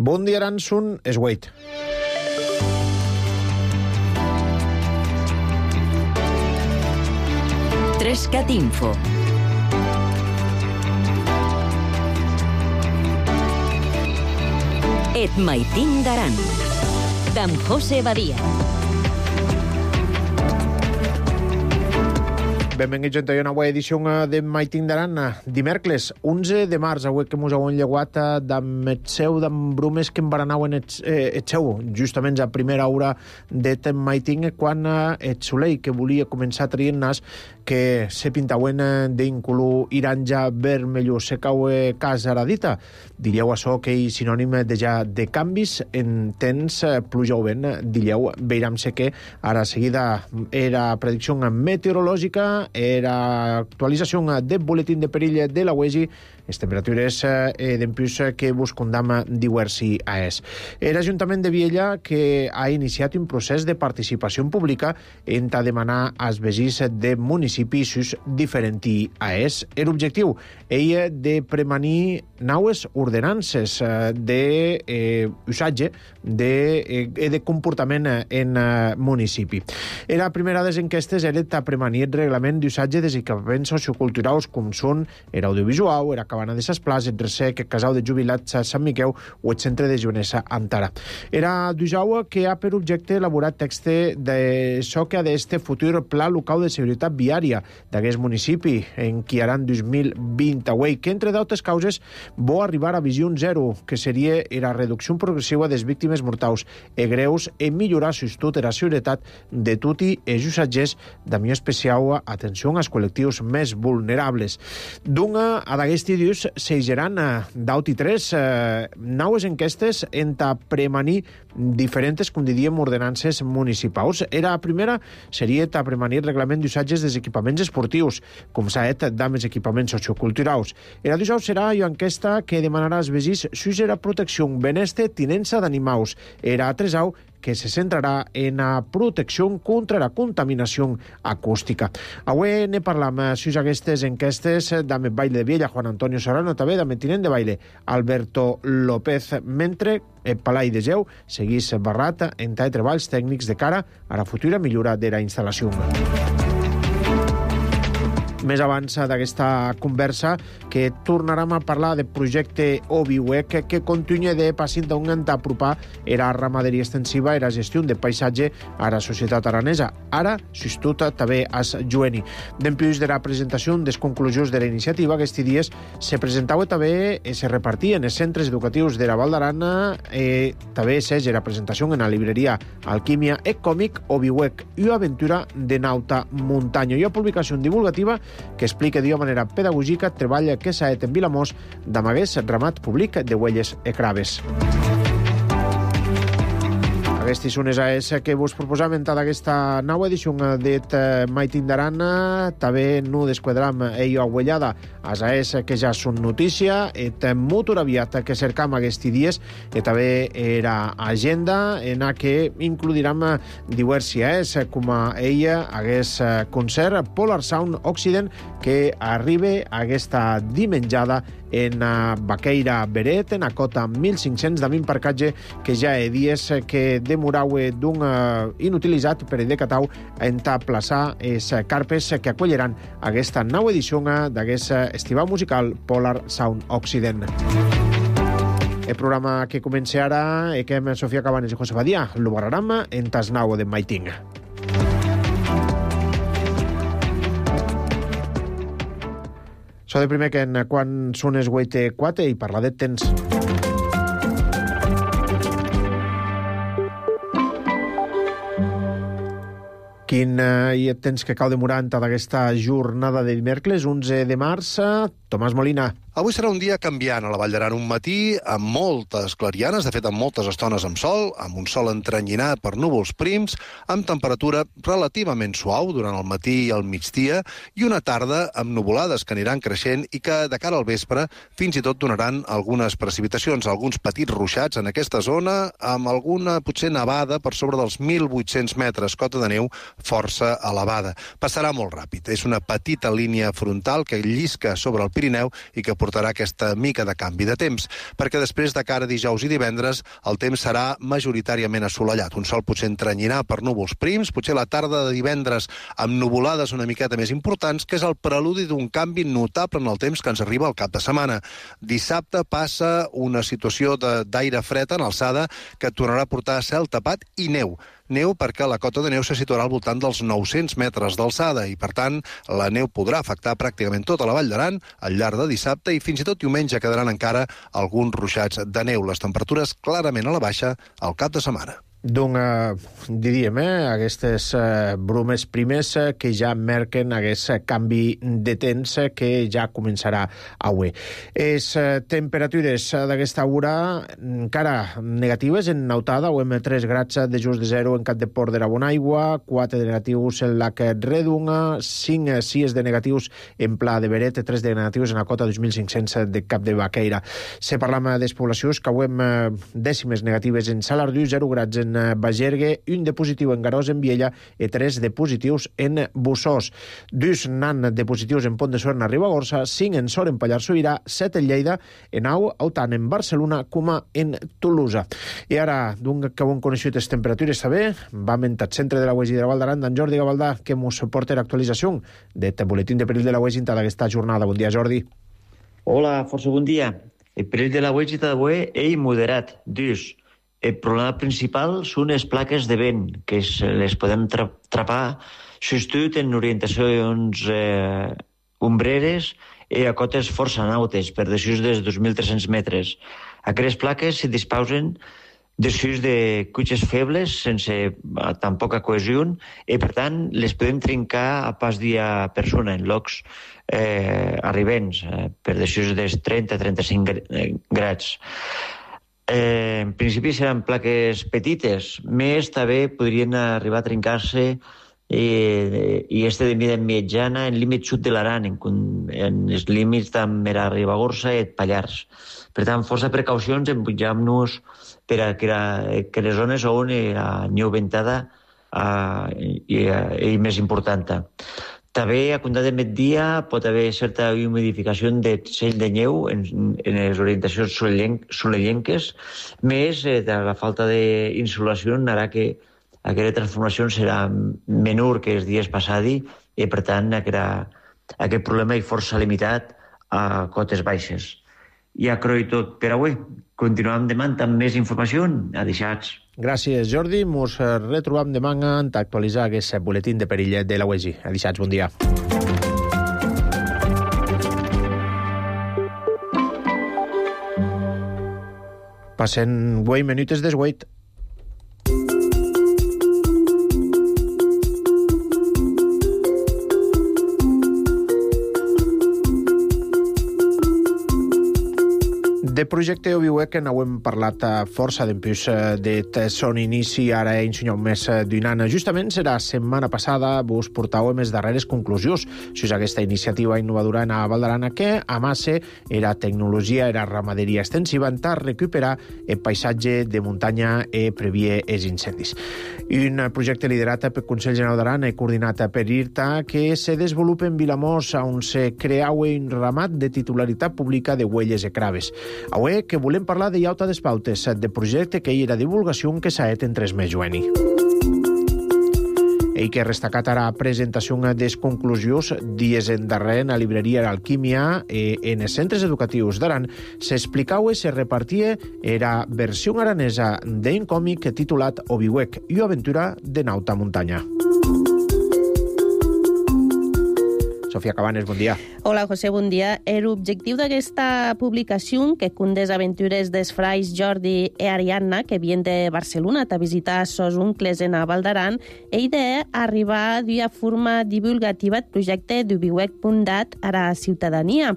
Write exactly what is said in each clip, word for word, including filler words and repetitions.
Bon dia, Aransun, és Wade. Trescat Info. Et maitin d'Aran. D'en José Badia. Benvinguts a una nova edició de Maitin d'Aran. Dimèrcles, onze de març, avui que mos heu enlleguat d'en seu d'en brumes que embaranauen et, eh, et seu, justament a primera hora de Maitin, quan et soleil que volia començar traient nas que se pintauen d'un color iranja vermellós, se cau cas ara dita. Diríeu això que és sinònim de ja de canvis en temps, pluja o vent, diríeu, veiram-se que ara seguida era predicció meteorològica, era actualització del boletín de perill de la U E S I, les temperatures eh, d'empús que vos condama diversi a es. Era l'Ajuntament de Viella que ha iniciat un procés de participació pública en ta demanar als veïns de municipis sus diferents a es. Era objectiu ella de premanir naues ordenances eh, de eh, usatge de, eh, de comportament en eh, municipi. Era la primera de les enquestes era ta premanir el reglament d'usatge dels equipaments socioculturals com són era audiovisual, era cabana de ses places, el ressec, el casal de jubilats a Sant Miquel o el centre de Joanessa Antara. Era d'Usaua que ha per objecte elaborat text de so que ha d'este futur pla local de seguretat viària d'aquest municipi en qui aran dos mil vint, que entre d'altres causes vol arribar a visió zero, que seria la reducció progressiva de les víctimes mortals e greus i millorar sostut la seguretat de tutti els usatgers, d'ami especial atenció als col·lectius més vulnerables. D'una a d'aquest dius s'eigeran d'aut i tres eh, naues enquestes en ta premanir diferents, com diríem, ordenances municipals. Era la primera, seria ta premanir reglament d'usatges dels equipaments esportius, com s'ha dit d'amens equipaments socioculturals. Era d'usau serà una enquesta que demanarà als veïns sus la protecció, benestar, tinença d'animals. Era a tresau que se centrarà en la protecció contra la contaminació acústica. Avui ne parlam sus aquestes enquestes d'Ame Baile de Viella, Juan Antonio Serrano, també d'Ame Tinent de Baile, Alberto López, mentre el Palai de Geu seguís barrat en tal treballs tècnics de cara a la futura millora de la instal·lació. Més abans d'aquesta conversa que tornarem a parlar del projecte OBIWEC que, que continua de passint d'un a apropar era ramaderia extensiva i la gestió de paisatge a la societat aranesa. Ara, sostut també as Joeni. D'empús de la presentació des conclusions de la iniciativa, aquests dies se presentava també i se repartia en els centres educatius de la Val d'Aran eh, també s'és la presentació en la libreria Alquímia e còmic OBIWEC i aventura de nauta muntanya. I una publicació divulgativa que explica d'una manera pedagògica el treball que s'ha fet en Vilamós d'amagués ramat públic de huelles e craves. Aquestes són les A S que vos proposam en aquesta nova edició de Maitin d'Aran. També no desquadram ella aguellada as A S que ja són notícia, et motor aviat que cercam aquests dies, i també era agenda en la que incluiram diversi A S, com a ella hagués concert Polar Sound Occident que arriba a aquesta dimenjada en Baqueira Beret, en a cota mil cinc-cents de min parcatge que ja he dies que demorau d'un inutilitzat per decatau en ta plaçar es carpes que acolleran aquesta nova edició d'aquest estival musical Polar Sound Occident. El programa que comença ara és que amb Sofia Cabanes i José Badia lo barraram en tas nau de Maiting. So de primer que en quan són es vuit quatre i parlar de temps. Quin eh, hi temps que cau demorant d'aquesta jornada de dimèrcles, onze de març. Tomàs Molina. Avui serà un dia canviant a la Vall d'Aran, un matí amb moltes clarianes, de fet amb moltes estones amb sol, amb un sol entrenyinat per núvols prims, amb temperatura relativament suau durant el matí i el migdia, i una tarda amb nuvolades que aniran creixent i que de cara al vespre fins i tot donaran algunes precipitacions, alguns petits ruixats en aquesta zona, amb alguna potser nevada per sobre dels mil vuit-cents metres, cota de neu força elevada. Passarà molt ràpid. És una petita línia frontal que llisca sobre el Pirineu i que aportarà aquesta mica de canvi de temps, perquè després de cara a dijous i divendres el temps serà majoritàriament assolellat. Un sol potser entrenyirà per núvols prims, potser la tarda de divendres amb nuvolades una miqueta més importants, que és el preludi d'un canvi notable en el temps que ens arriba al cap de setmana. Dissabte passa una situació d'aire fred en alçada que tornarà a portar cel tapat i neu. Neu perquè la cota de neu se situarà al voltant dels nou-cents metres d'alçada i, per tant, la neu podrà afectar pràcticament tota la Vall d'Aran al llarg de dissabte i fins i tot diumenge quedaran encara alguns ruixats de neu. Les temperatures clarament a la baixa al cap de setmana. Doncs, eh, diríem, eh, aquestes eh, brumes primes eh, que ja merquen aquest canvi de temps eh, que ja començarà avui. Les eh, temperatures d'aquesta hora encara negatives en Nautada, o amb tres grads de just de zero en Cap de Port de la Bonaigua, quatre de negatius en Lac Redunga, cinc sis de negatius en Pla de Beret, tres de negatius en la cota dos mil cinc-cents de Cap de Baqueira. Se parlam des poblacions que avui amb eh, dècimes negatives en Salardú, zero grads en en Bagergue, un de positiu en Garòs, en Viella, i tres de positius en Bussós. Dus nan de positius en Pont de Suert, a Ribagorça, cinc en Sort, en Pallars Sobirà, set en Lleida, en Au, tant en Barcelona com en Tolosa. I ara, d'un que ho hem coneixut les temperatures també, vam en el centre de la U E G i de la Val d'Aran, d'en Jordi Gavaldà, que mos porta l'actualització d'aquest buletín de perill de la U E G d'aquesta jornada. Bon dia, Jordi. Hola, força bon dia. El perill de la U E G d'avui és moderat, dus. El problema principal són les plaques de vent, que les podem tra trapar sobretot en orientacions eh, ombreres i a cotes força nautes, per desús dels dos mil tres-cents metres. Aquestes plaques se disposen desús de cutxes febles, sense tan poca cohesió, i per tant les podem trincar a pas dia persona, en llocs eh, arribents, eh, per desús dels trenta a trenta-cinc grads. Eh, en principi seran plaques petites, més també podrien arribar a trencar-se i, i este de mida mitjana en límit sud de l'Aran, en, en els límits també a Ribagorça i Pallars. Per tant, força precaucions en pujar-nos per a que, que les zones on la neu ventada uh, i, i més important. També, a comptar de migdia, pot haver certa humidificació de cell de neu en, en les orientacions solellenques, més eh, de la falta d'insolació harà que aquesta transformació serà menor que els dies passats i, per tant, aquest, aquest problema és força limitat a cotes baixes. I a croi tot per avui. Continuem demà amb més informació. Adeixats. Gràcies, Jordi. Mos retrobam demà en actualitzar aquest buletín de perill de la U E G. Adeixats, bon dia. Passen vuit minutes des vuit. De projecte Obiuec, que n'hem parlat força d'empús de son inici, ara he ensenyat més d'un any. Justament serà setmana passada vos portau més darreres conclusions sobre aquesta iniciativa innovadora en la Val d'Aran, que amasse era tecnologia, era ramaderia extensiva en tar recuperar el paisatge de muntanya i previer els incendis. Un projecte liderat pel Consell General d'Aran i coordinat per I R T A que se desenvolupa en Vilamós, on se creau un ramat de titularitat pública de huelles i craves. Avui que volem parlar de Iauta des Pautes, de projecte que hi era divulgació que s'ha fet en tres mesos jueni. Ell que restacat ara presentació des conclusions dies en darrer en la libreria Alquímia eh, en els centres educatius d'Aran s'explicau i se repartia era versió aranesa d'un còmic titulat Obiuec i aventura de nauta muntanya. Sofia Cabanes, bon dia. Hola, José, bon dia. L'objectiu d'aquesta publicació, que conté les aventures dels frais Jordi i Ariadna, que vien de Barcelona a visitar sos oncles en la Val d'Aran, és d'arribar d'una forma divulgativa al projecte d'ubiuec punt dat a la ciutadania.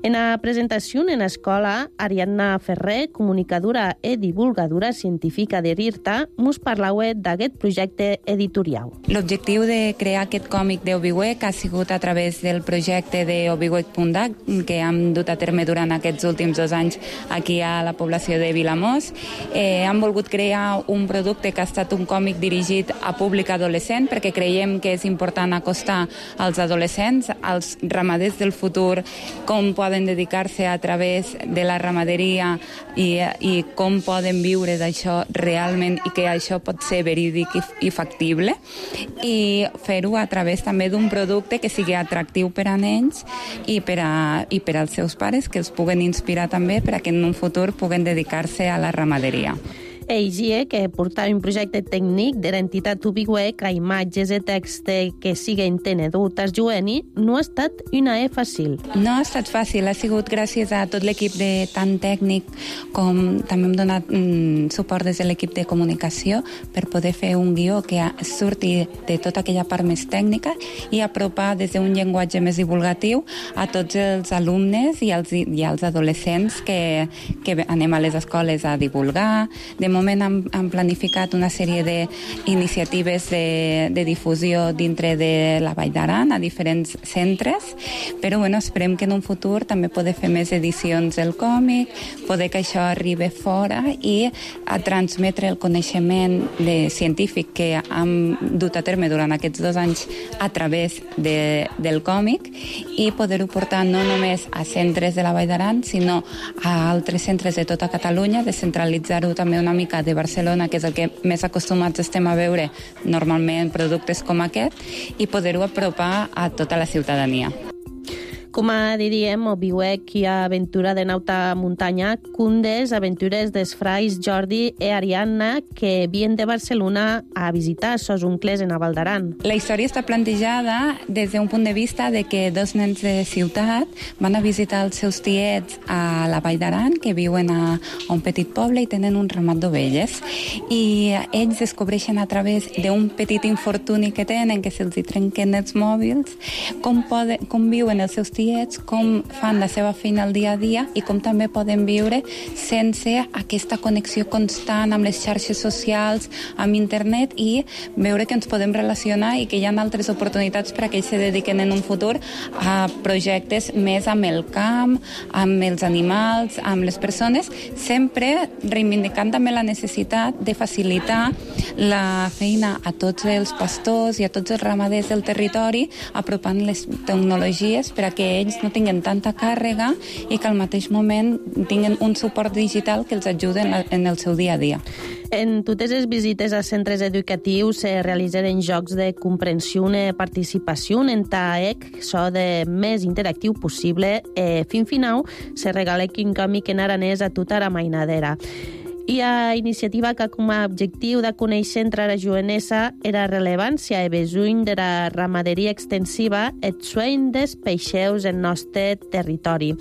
En la presentació en l'escola, Ariadna Ferrer, comunicadora i divulgadora científica de l'I R T A, mos parlau d'aquest projecte editorial. L'objectiu de crear aquest còmic d'Obiuec ha sigut a través del projecte d'ubiuec punt dat, que hem dut a terme durant aquests últims dos anys aquí a la població de Vilamós. Eh, hem volgut crear un producte que ha estat un còmic dirigit a públic adolescent, perquè creiem que és important acostar als adolescents, als ramaders del futur, com poden poden dedicar-se a través de la ramaderia i, i com poden viure d'això realment i que això pot ser verídic i, i factible, i fer-ho a través també d'un producte que sigui atractiu per a nens i per, a, i per als seus pares, que els puguen inspirar també per a que en un futur puguen dedicar-se a la ramaderia. Eigie, que portava un projecte tècnic de l'entitat Ubiwec a imatges i text que siguen tenedut as jueni, no ha estat una e fàcil. No ha estat fàcil, ha sigut gràcies a tot l'equip de tant tècnic com també hem donat mm, suport des de l'equip de comunicació per poder fer un guió que surti de tota aquella part més tècnica i apropar des d'un llenguatge més divulgatiu a tots els alumnes i als, i als adolescents que, que anem a les escoles a divulgar. De moment hem, hem planificat una sèrie d'iniciatives de, de difusió dintre de la Vall d'Aran a diferents centres, però bueno, esperem que en un futur també poder fer més edicions del còmic, poder que això arribi fora i a transmetre el coneixement de científic que hem dut a terme durant aquests dos anys a través de, del còmic i poder-ho portar no només a centres de la Vall d'Aran, sinó a altres centres de tota Catalunya, descentralitzar-ho també una mica de Barcelona, que és el que més acostumats estem a veure normalment productes com aquest, i poder-ho apropar a tota la ciutadania. Com a diríem, Ubiwec i aventura de nauta muntanya, cundes aventures dels frais Jordi i Ariadna que vien de Barcelona a visitar sos oncles en a Val d'Aran. La història està plantejada des d'un punt de vista de que dos nens de ciutat van a visitar els seus tiets a la Vall d'Aran, que viuen a, a un petit poble i tenen un ramat d'ovelles. I ells descobreixen a través d'un petit infortuni que tenen, que se'ls trenquen els mòbils, com, poden, com viuen els seus tiets, com fan la seva feina al dia a dia i com també poden viure sense aquesta connexió constant amb les xarxes socials, amb internet, i veure que ens podem relacionar i que hi ha altres oportunitats per a que ells se dediquen en un futur a projectes més amb el camp, amb els animals, amb les persones, sempre reivindicant també la necessitat de facilitar la feina a tots els pastors i a tots els ramaders del territori, apropant les tecnologies per a que ells no tinguen tanta càrrega i que al mateix moment tinguen un suport digital que els ajudi en el seu dia a dia. En totes les visites a centres educatius se realitzaren jocs de comprensió i participació en TAEC, so de més interactiu possible. Eh, fin final se regala un còmic en aranès a tota la mainadera. I a iniciativa que com a objectiu de conèixer entre la jovenesa era rellevància i besuny de la ramaderia extensiva et sueny des peixeus en nostre territori.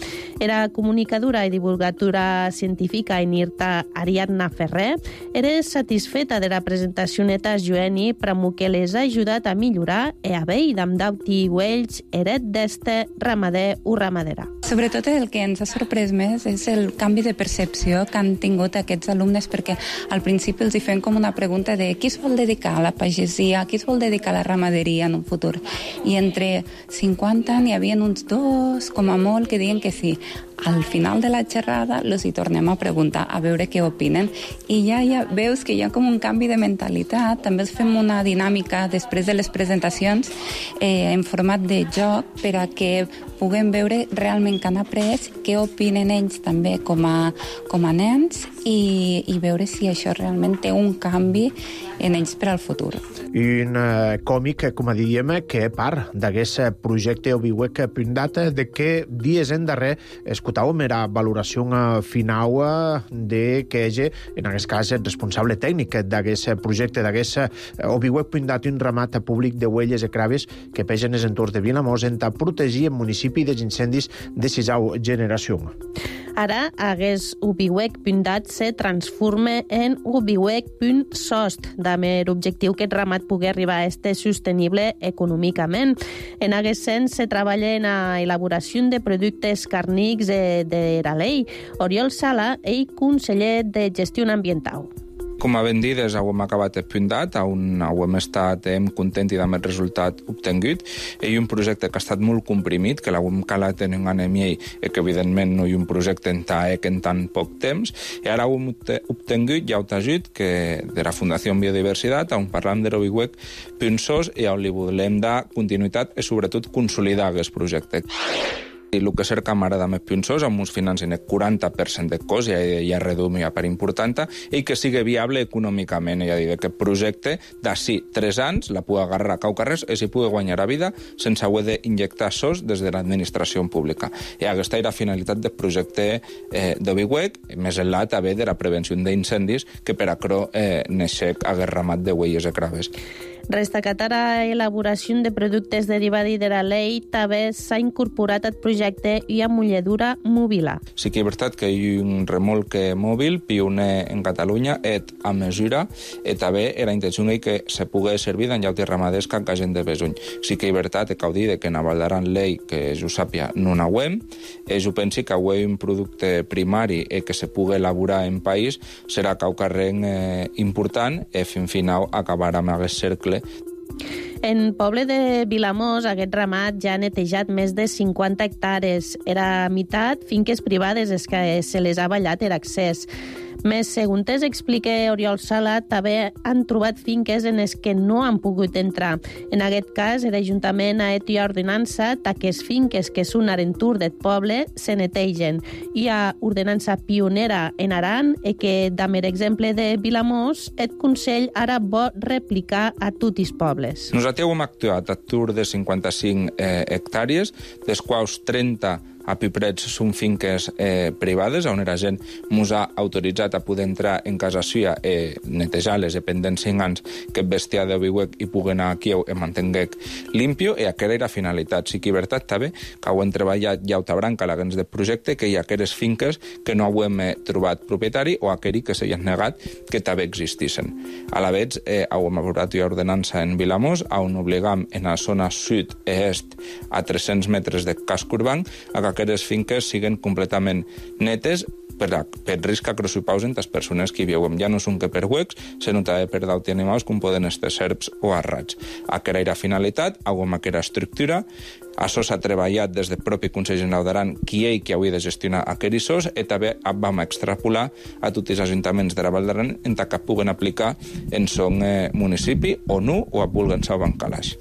Era comunicadora i divulgadora científica en IRTA Ariadna Ferrer. Era satisfeta de la presentació neta jueni pramo que les ha ajudat a millorar e a vei d'am dauti uells eret d'este ramader o ramadera. Sobretot el que ens ha sorprès més és el canvi de percepció que han tingut aquests alumnes, perquè al principi els hi fem com una pregunta de qui es vol dedicar a la pagesia, qui es vol dedicar a la ramaderia en un futur. I entre cinquanta n'hi havia uns dos, com a molt, que diuen que sí. Al final de la xerrada els hi tornem a preguntar a veure què opinen i ja, ja veus que hi ha com un canvi de mentalitat. També els fem una dinàmica després de les presentacions eh, en format de joc per a que puguem veure realment què han après, què opinen ells també com a, com a nens i, i veure si això realment té un canvi en ells per al futur. Un uh, còmic, com a diríem, que part d'aquest projecte Ubiwec Pundat, de que dies en darrer escoltàvem era valoració final de que ell, en aquest cas, el responsable tècnic d'aquest projecte, d'aquest Ubiwec Pundat, un ramat públic de huelles i craves que pegen els entorns de Vilamós en protegir el municipi dels incendis de sisau generació. Ara, aquest Ubiwec Pundat se transforma en Ubiwec punt sost, amb l'objectiu que el ramat pugui arribar a estar sostenible econòmicament. En aquest sens, se treballa en la elaboració de productes càrnics de, de la llei. Oriol Sala, ell conseller de Gestió Ambiental. Com a ben dides, hem acabat el Pundat, on hem estat hem content i amb el resultat obtingut. Hi ha un projecte que ha estat molt comprimit, que l'hem calat en un any i mig, i que evidentment no hi ha un projecte en TAEC en tan poc temps. I ara hem obtingut ja un ajut que de la Fundació Biodiversitat, on parlam de l'Ubiwec Punsos i on li volem dar continuïtat i sobretot consolidar aquest projecte. I el que cerca m'agrada més pinçós, amb uns financen el quaranta per cent de cost, ja, ja redum ja per important, i que sigui viable econòmicament. Ja dir, aquest projecte, d'ací tres anys, la pugui agarrar a Caucarrers i s'hi pugui guanyar a vida sense haver d'injectar sos des de l'administració pública. I aquesta era la finalitat del projecte eh, d'Obiweg, més enllà també de la prevenció d'incendis, que per acro eh, neixec hagués ramat de huelles i craves. Destacat a la elaboració de productes derivats de la llei, també s'ha incorporat al projecte i a mulladura mòbila. Sí que és veritat que hi ha un remolque mòbil pioner en Catalunya, et a mesura, i també era intenció que se pugui servir d'en llautes ramaders que encara gent de besuny. Sí que és veritat que cal dir que en Val d'Aran llei, que jo sàpia, no n'auem, i jo penso que avui un producte primari i que se pugui elaborar en país serà caucarrenc eh, important i fin final acabarà amb aquest cercle. En poble de Vilamós, aquest ramat ja ha netejat més de cinquanta hectàrees. Era meitat finques privades és que se les ha ballat er accés. Més, segons explica Oriol Sala, també han trobat finques en les que no han pogut entrar. En aquest cas, l'Ajuntament ha hecho ordenança d'aquestes finques que són arentur del poble se netegen. Hi ha ordenança pionera en Aran i que, amb l'exemple de Vilamós, el Consell ara vol replicar a tots els pobles. Nosaltres hem actuat a tour de cinquanta-cinc eh, hectàrees, dels quals trenta a Piprets són finques eh, privades, on la gent mos ha autoritzat a poder entrar en casa suya i netejar-les pendent cinc anys que el bestiar d'Obiweg hi pugui anar aquí i mantenguec limpio, i aquesta era la finalitat. Sí que és veritat també que ho hem treballat ja a branca a l'agents del projecte, que hi ha aquelles finques que no ho hem eh, trobat propietari o aquells que s'hi han negat que també existissin. A la vegada, eh, ho hem aprovat ja ordenança en Vilamós, on obligam en la zona sud i est a tres-cents metres de casc urbà a que aquestes finques siguen completament netes per, per risc que crossipausen les persones que hi viuen. Ja no són que per huecs, sinó també per d'altres animals com poden estar serps o arrats. Aquesta era la finalitat, amb aquesta estructura. Això s'ha treballat des del propi Consell General d'Aran, qui ell que hauria de gestionar aquests sos, i també vam extrapolar a tots els ajuntaments de la Val d'Aran en que puguen aplicar en son eh, municipi o no, o a Bulgansau o en Calaix.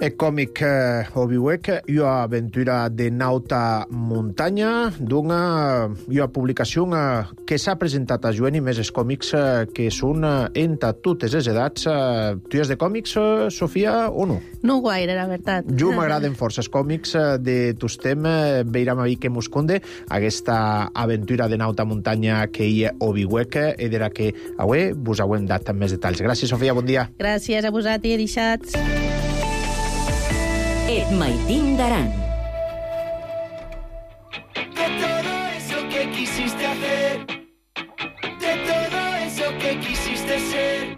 El còmic eh, Obiweg, una aventura de nauta muntanya, d'una una publicació eh, que s'ha presentat a Joan i més els còmics eh, que són eh, entre totes les edats. Eh, tu has de còmics, eh, Sofia, o no? No gaire, la veritat. Jo m'agraden força els còmics eh, de tostem, eh, veiram a dir que mos conde aquesta aventura de nauta muntanya que hi ha Obiweg, i de la que avui vos hem dat més detalls. Gràcies, Sofia, bon dia. Gràcies a vosaltres, deixats. Et Maitín d'Aran. De todo eso que quisiste hacer, de todo eso que quisiste ser,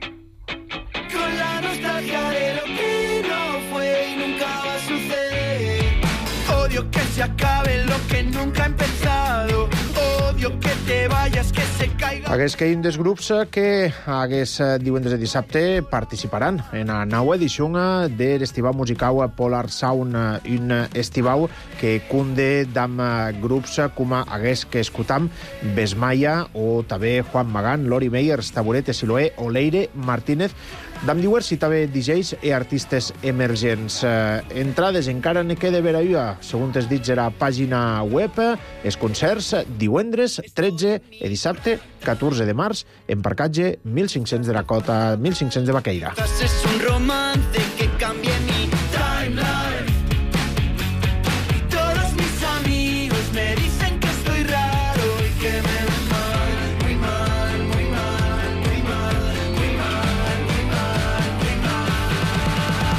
con la nostalgia de lo que no fue y nunca va a suceder. Odio que se acabe lo que nunca ha empezado, odio que te vayas, que se caiga. Hagués que hi ha dels grups que hagués divendres i dissabte participaran en la nova edició de l'Estivau Musical Polar Sound, un estivau que cunde d'am grups com hagués que escutam Besmaia o també Juan Magán, Lori Meyers, Taburete, Siloé o Leire Martínez, d'am diuers i també D Js i artistes emergents. Entrades encara ne queda per allà, segons els dits de la pàgina web, els concerts divendres tretze i dissabte catorze de març en parcatge mil cinc-cents de la Cota, mil cinc-cents de Baqueira. Es un romance que cambie mi timeline. Y todos mis amigos me dicen que estoy raro y que me ven mal, muy mal, muy mal, muy mal, muy mal, muy mal, muy mal.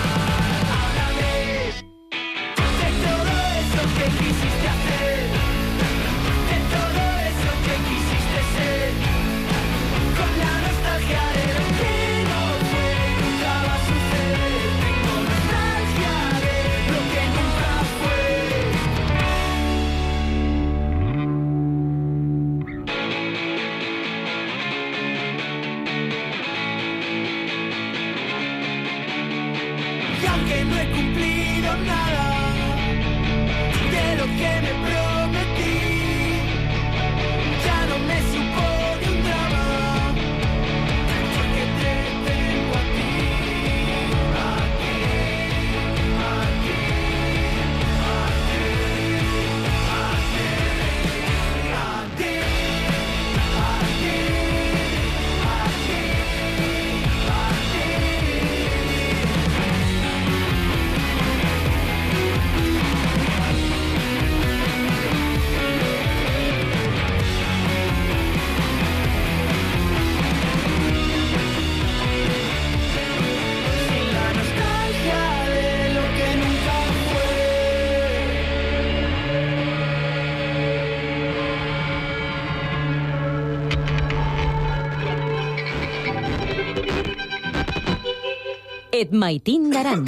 Háblame de todo eso que quisiste hacer, de todo eso que quisiste ser, con la nostalgia de lo que no fue, nunca va a suceder. Tengo nostalgia de lo que nunca fue. Y aunque no he cumplido nada de lo que me prometí, ya no me supone un drama, porque te tengo a ti, a ti, a ti, a ti. Et maitin d'aran.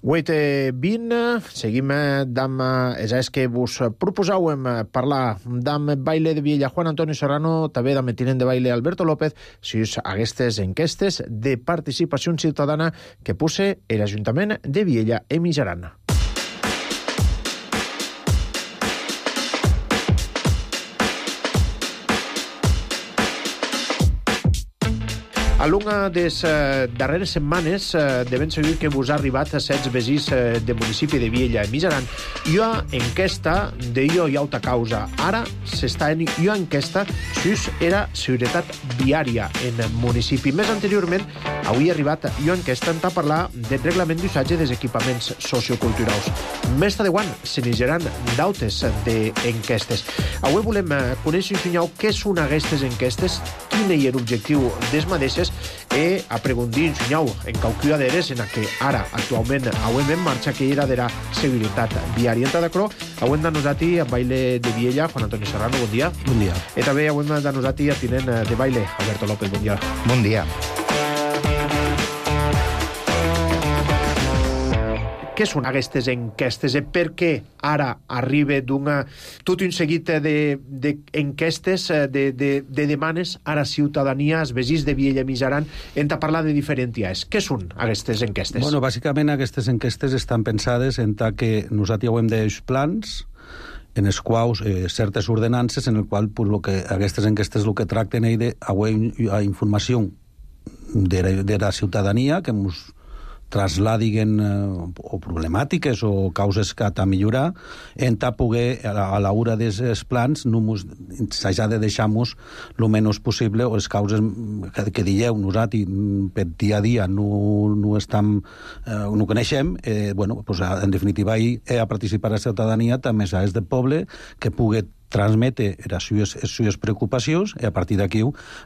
vuit i vint, seguim amb els que vos proposàvem parlar amb baile de Viella Juan Antonio Serrano, també amb el tinent de baile Alberto López, si us aquestes enquestes de participació ciutadana que puse l'Ajuntament de Viella i Mijaran. A l'una de les eh, darreres setmanes eh, de ben segur que vos ha arribat a sets vesins eh, del municipi de Viella i Mijaran. Jo enquesta de jo i alta causa. Ara s'està en jo enquesta si era seguretat viària en el municipi. Més anteriorment, avui ha arribat jo enquesta en parlar del reglament d'usatge dels equipaments socioculturals. Més tardeuant se n'higeran d'autes d'enquestes. Avui volem conèixer, senyor, què són aquestes enquestes, quin és l'objectiu des mateixes, e a preguntar, senyor, en qualcuna d'eres en què ara, actualment, avui en marxa, que era de la seguretat viària. En Tadacro, avui hem de nosaltres a baile de Viella, Juan Antonio Serrano, bon dia. Bon dia. I també avui hem de nosaltres a tinent de baile, Alberto López, bon dia. Bon dia. Què són aquestes enquestes i per què ara arriba d'una, tot un seguit d'enquestes, de, de, de, de demanes a la ciutadania, als vesins de Viella i Mijaran, hem de parlar de diferents dies. Què són aquestes enquestes? Bueno, bàsicament aquestes enquestes estan pensades en tant que nosaltres hem d'uns plans en els quals eh, certes ordenances en el qual pues, lo que, aquestes enquestes el que tracten és d'haver informació de la, de la ciutadania que ens trasladin eh, o problemàtiques o causes que ha de millorar, en ta poder, a l'hora dels plans, s'ha de deixar-nos el menys possible, o les causes que, que dieu nosaltres per dia a dia no, no, estam, eh, no coneixem, eh, bueno, pues, en definitiva, hi ha participar la ciutadania, també és del poble, que pugui transmete les seues, les seues preocupacions i a partir d'aquí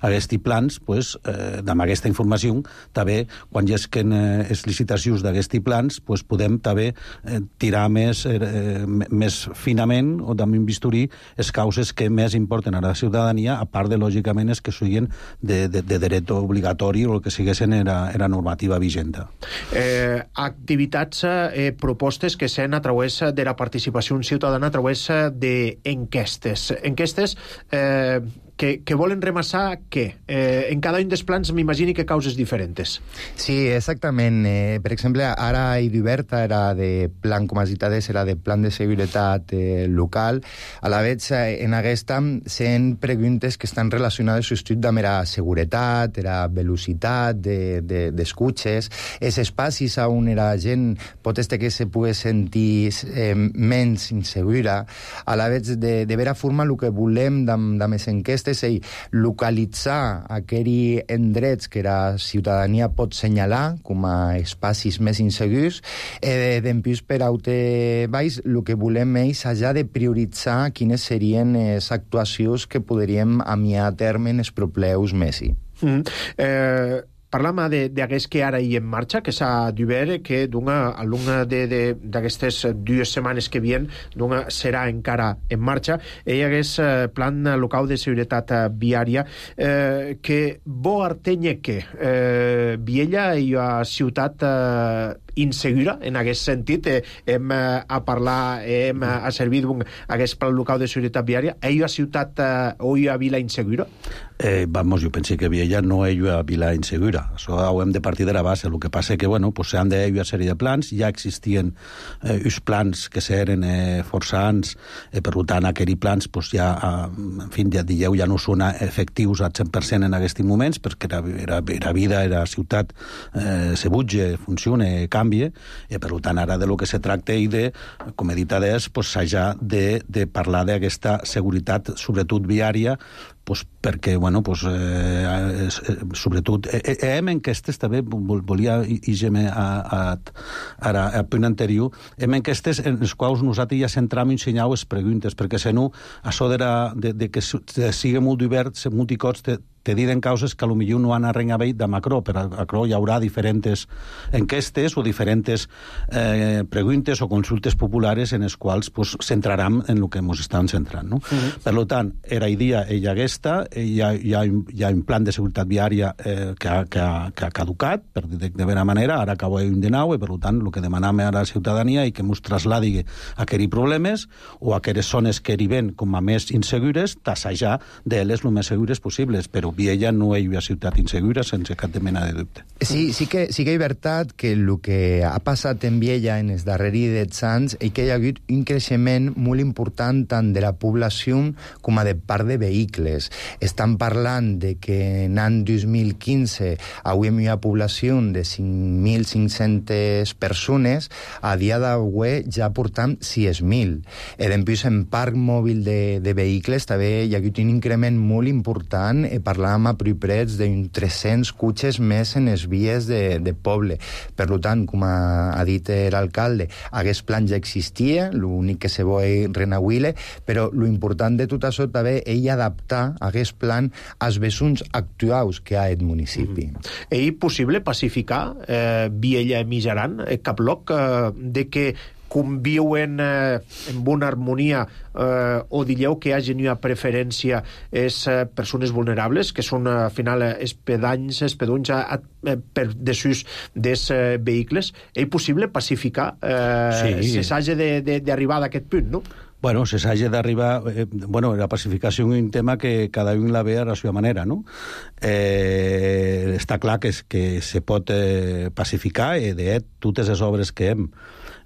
aquests plans, pues, eh, amb aquesta informació, també, quan hi esquen eh, les licitacions d'aquests plans, pues, podem també eh, tirar més, eh, més finament o també bisturir les causes que més importen a la ciutadania, a part de, lògicament, les que siguin de, de, de dret obligatori o el que siguessin era, era normativa vigenta. Eh, activitats, eh, propostes que s'han a través de la participació ciutadana, a través d'enquestes. Enquestes eh, que, que volen remassar què? Eh, en cada un dels plans m'imagini que causes diferents. Sí, exactament. Eh, per exemple, ara i d'Iberta era de plan, com has dit, era de plan de seguretat eh, local. A la vegada, en aquesta, sent preguntes que estan relacionades amb amb la seguretat, la velocitat d'escutxes, de, de, els espacis on la gent pot estar que se pugui sentir eh, menys insegura. A la vegada, de, de vera forma, el que volem amb les enquestes és localitzar aquells endrets que la ciutadania pot senyalar com a espacis més insegurs i d'empús per aute baix el que volem és allà de prioritzar quines serien les actuacions que podríem amiar a terme en els propers mesos. Mm. Eh... Parlam d'aquest que ara hi en marxa, que s'ha d'haver, que a l'una d'aquestes dues setmanes que vien serà encara en marxa. Hi hagués plan local de seguretat viària eh, que bo artenye que eh, Viella i a ciutat eh, insegura, en aquest sentit, eh, hem eh, a parlar, hem eh, a servir d'un aquest plan local de seguretat viària. Hi a ciutat eh, o hi a vila insegura? Eh, vamos, jo penso que Viella no hi ha vila insegura. Això ho hem de partir de la base. El que passa és que, bueno, pues, s'han d'haver una sèrie de plans. Ja existien eh, uns plans que s'eren eh, força anys, eh, per tant, aquells plans, pues, ja, eh, en fi, ja dieu, ja no són efectius al cent per cent en aquests moments, perquè era, era, era vida, era ciutat, eh, se butge, funciona, canvia, i per tant, ara de lo que se tracta i de, com he dit adés, pues, s'ha de, de parlar d'aquesta seguretat, sobretot viària, pues perquè, bueno, pues, eh, sobretot, eh, eh, hem enquestes també, volia ir-me a, a, a, a punt anterior, hem enquestes en les quals nosaltres ja centram i ensenyau les preguntes, perquè si no, això de, la, de, de que sigui molt divert, multicots, te diren causes que potser no han arrengabeit de Macro, però a Macro hi haurà diferents enquestes o diferents eh, preguntes o consultes populares en les quals pues, centraram en el que ens estan centrant. No? Uh-huh. Per tant, era idea ella aquesta, hi ha, hi, ha, hi ha un plan de seguretat viària eh, que, ha, que, ha, que ha caducat, per dir de vera manera, ara acaba un de nou, i per tant, el que demanam a la ciutadania i que ens trasladi a aquells problemes o a aquelles zones que arriben com a més insegures, tassejar d'elles el més segures possibles, però Viella no hi ha ciutat insegura sense cap de mena de dubte. Sí, sí que, sí que és veritat que el que ha passat en Viella en els darrers deu anys és que hi ha hagut un creixement molt important tant de la població com a de part de vehicles. Estan parlant de que en l'any dos mil quinze avui hi ha població de cinc mil cinc-centes persones, a dia d'avui ja portam sis mil. I després en parc mòbil de, de vehicles també hi ha hagut un increment molt important, eh, parlàvem a Priprets d'uns tres-cents cotxes més en les vies de, de poble. Per tant, com ha, ha dit l'alcalde, aquest plan ja existia, l'únic que se vol renauir, però l'important de tot això també és adaptar aquest plan als vessons actuals que ha el municipi. Mm. És possible pacificar eh, Viella i Mijaran, eh, cap loc, eh, de que conviuen eh, en una harmonia eh, o dieu que hi hagi una preferència és eh, persones vulnerables, que són al final espedanys, espedunys a, a, per desús dels eh, vehicles. És possible pacificar eh, sí. si s'hagi d'arribar a aquest punt, no? Bueno, se s'hagi d'arribar... Eh, bueno, la pacificació és un tema que cada un la ve a la seva manera, no? Eh, està clar que, que se pot eh, pacificar, i de fet, totes les obres que hem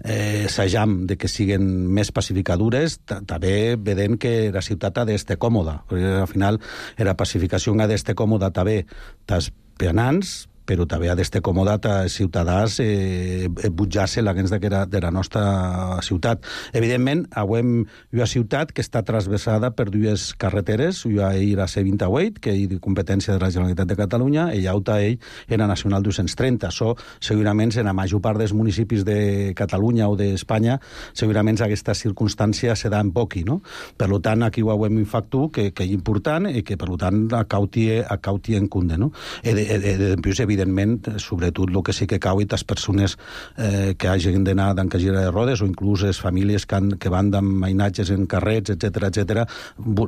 eh, assajam de que siguen més pacificadures, també vedem que la ciutat ha d'estar còmoda. Al final, la pacificació ha d'estar còmoda també dels peanants, però també ha d'estar còmodat a ciutadans eh, butjar-se la gens de, de la nostra ciutat. Evidentment, avui hi ha una ciutat que està transversada per dues carreteres, hi ha la C vint-i-vuit, que és de competència de la Generalitat de Catalunya, i hi ha ell en la Nacional dos-cents trenta. Això, segurament, en la major part dels municipis de Catalunya o d'Espanya, segurament aquesta circumstància se da en poqui, no? Per tant, aquí ho hem un factor que, que és important i que, per tant, acauti, acauti en compte, no? I, de, de, de, de, evidentment, sobretot el que sí que cau i les persones eh, que hagin d'anar d'encagir de rodes o inclús les famílies que, han, que van amb mainatges en carrets, etcètera, etcètera,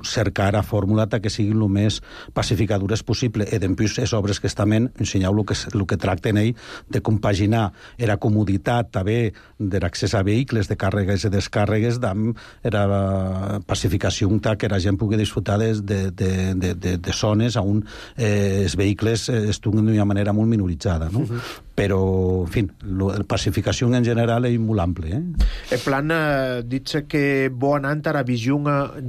cercar a fórmula que siguin el més pacificadures possible. I després, les obres que estan ensenyeu el que, el que tracten ell de compaginar la comoditat també de l'accés a vehicles, de càrregues i descàrregues, amb la pacificació que la gent pugui disfrutar de, de, de, de, de, de zones on eh, els vehicles estiguin d'una manera molt minoritzada, no? Uh-huh. Però, en fi, la pacificació en general és molt àmplia. Eh? El plan eh, dit que bo anant a la visió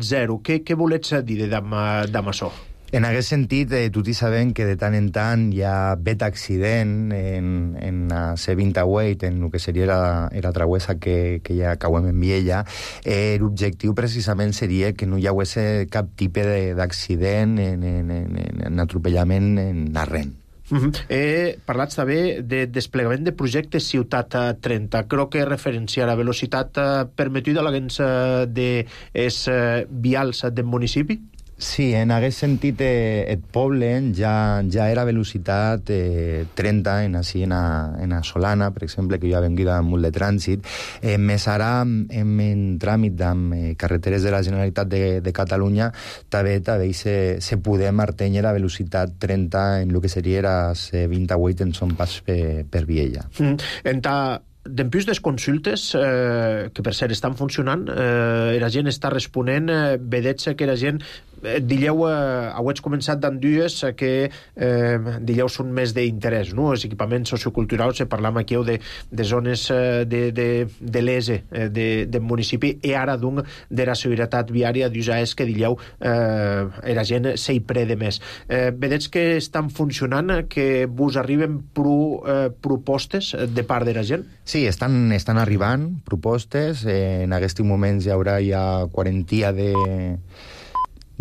zero. Què, què volets dir d'am això? En aquest sentit, eh, tots sabem que de tant en tant hi ha vet accident en, en la C vint-i-vuit, en el que seria la, la travessa que, que ja acabem en Viella. Eh, L'objectiu precisament seria que no hi hagués cap tipus d'accident en, en, en, en atropellament en arrent. Uh-huh. He parlat també de desplegament de projectes Ciutat trenta. Crec que referència a la velocitat permetuda a l'agents de es vials del municipi? Sí, en aquest sentit, eh, el poble ja, ja era velocitat eh, trenta, en, així, en, a, en a Solana, per exemple, que jo he vengut amb molt de trànsit. Eh, més ara, en, en tràmit amb eh, carreteres de la Generalitat de, de Catalunya, també, també se, se podem martenyer la velocitat trenta en el que seria la C vint-i-vuit en son pas per, per Viella. Mm. En ta... Dempuix des consultes, eh, que per cert estan funcionant, eh, la gent està responent, eh, vedets que la gent, eh, dilleu, eh, heu començat d'en dues eh, que eh, dilleu són més d'interès, no? Els equipaments socioculturals, eh, parlam aquí de, de zones eh, de, de, de l'E S E, eh, de, del municipi, i ara d'un de la seguretat viària d'U S A E S que dilleu eh, la gent s'hi prede més. Eh, vedets que estan funcionant, que vos arriben pro, eh, propostes de part de la gent? Sí, estan, estan arribant propostes. Eh, en aquests moments hi haurà ja quarantia de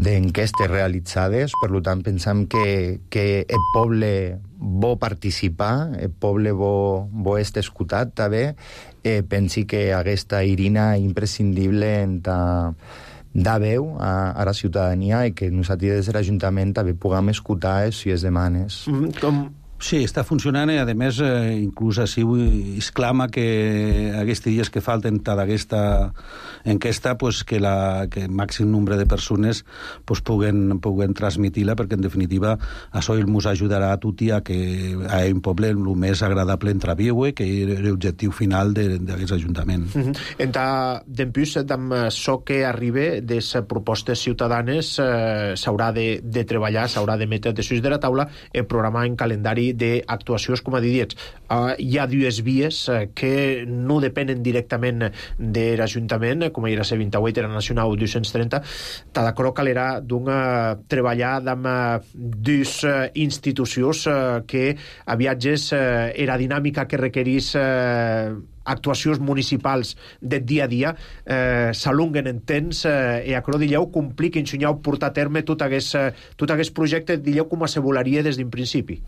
d'enquestes realitzades, per tant pensam que, que el poble vol participar, el poble vol, vol estar escoltat també, eh, pensi que aquesta irina imprescindible en ta da veu a, a la ciutadania i que nosaltres des de l'Ajuntament també puguem escoltar les seves demandes. Mm, com... Sí, està funcionant i, a més, eh, inclús així es clama que aquests dies que falten d'aquesta enquesta, pues, que el que màxim nombre de persones pues, puguen, puguen transmitir-la, perquè, en definitiva, això ens ajudarà a tutti a que a un poble el més agradable entre viure, que és l'objectiu final d'aquest Ajuntament. Mm-hmm. Entra, d'empús, amb això que arriba de les propostes ciutadanes, eh, s'haurà de, de treballar, s'haurà de metre de sus de la taula el programa en calendari d'actuacions, com a dit. Uh, hi ha dues vies uh, que no depenen directament de l'Ajuntament, com era la vint-i-vuit, era nacional dos-cents trenta. T'ha d'acord calera d'un uh, treballar amb uh, dues uh, institucions uh, que a viatges uh, era dinàmica que requerís uh, actuacions municipals de dia a dia, eh, s'alunguen en temps eh, i acro dilleu complir que ensenyeu portar a terme tot aquest, tot aquest projecte, dilleu com se volaria des d'un principi.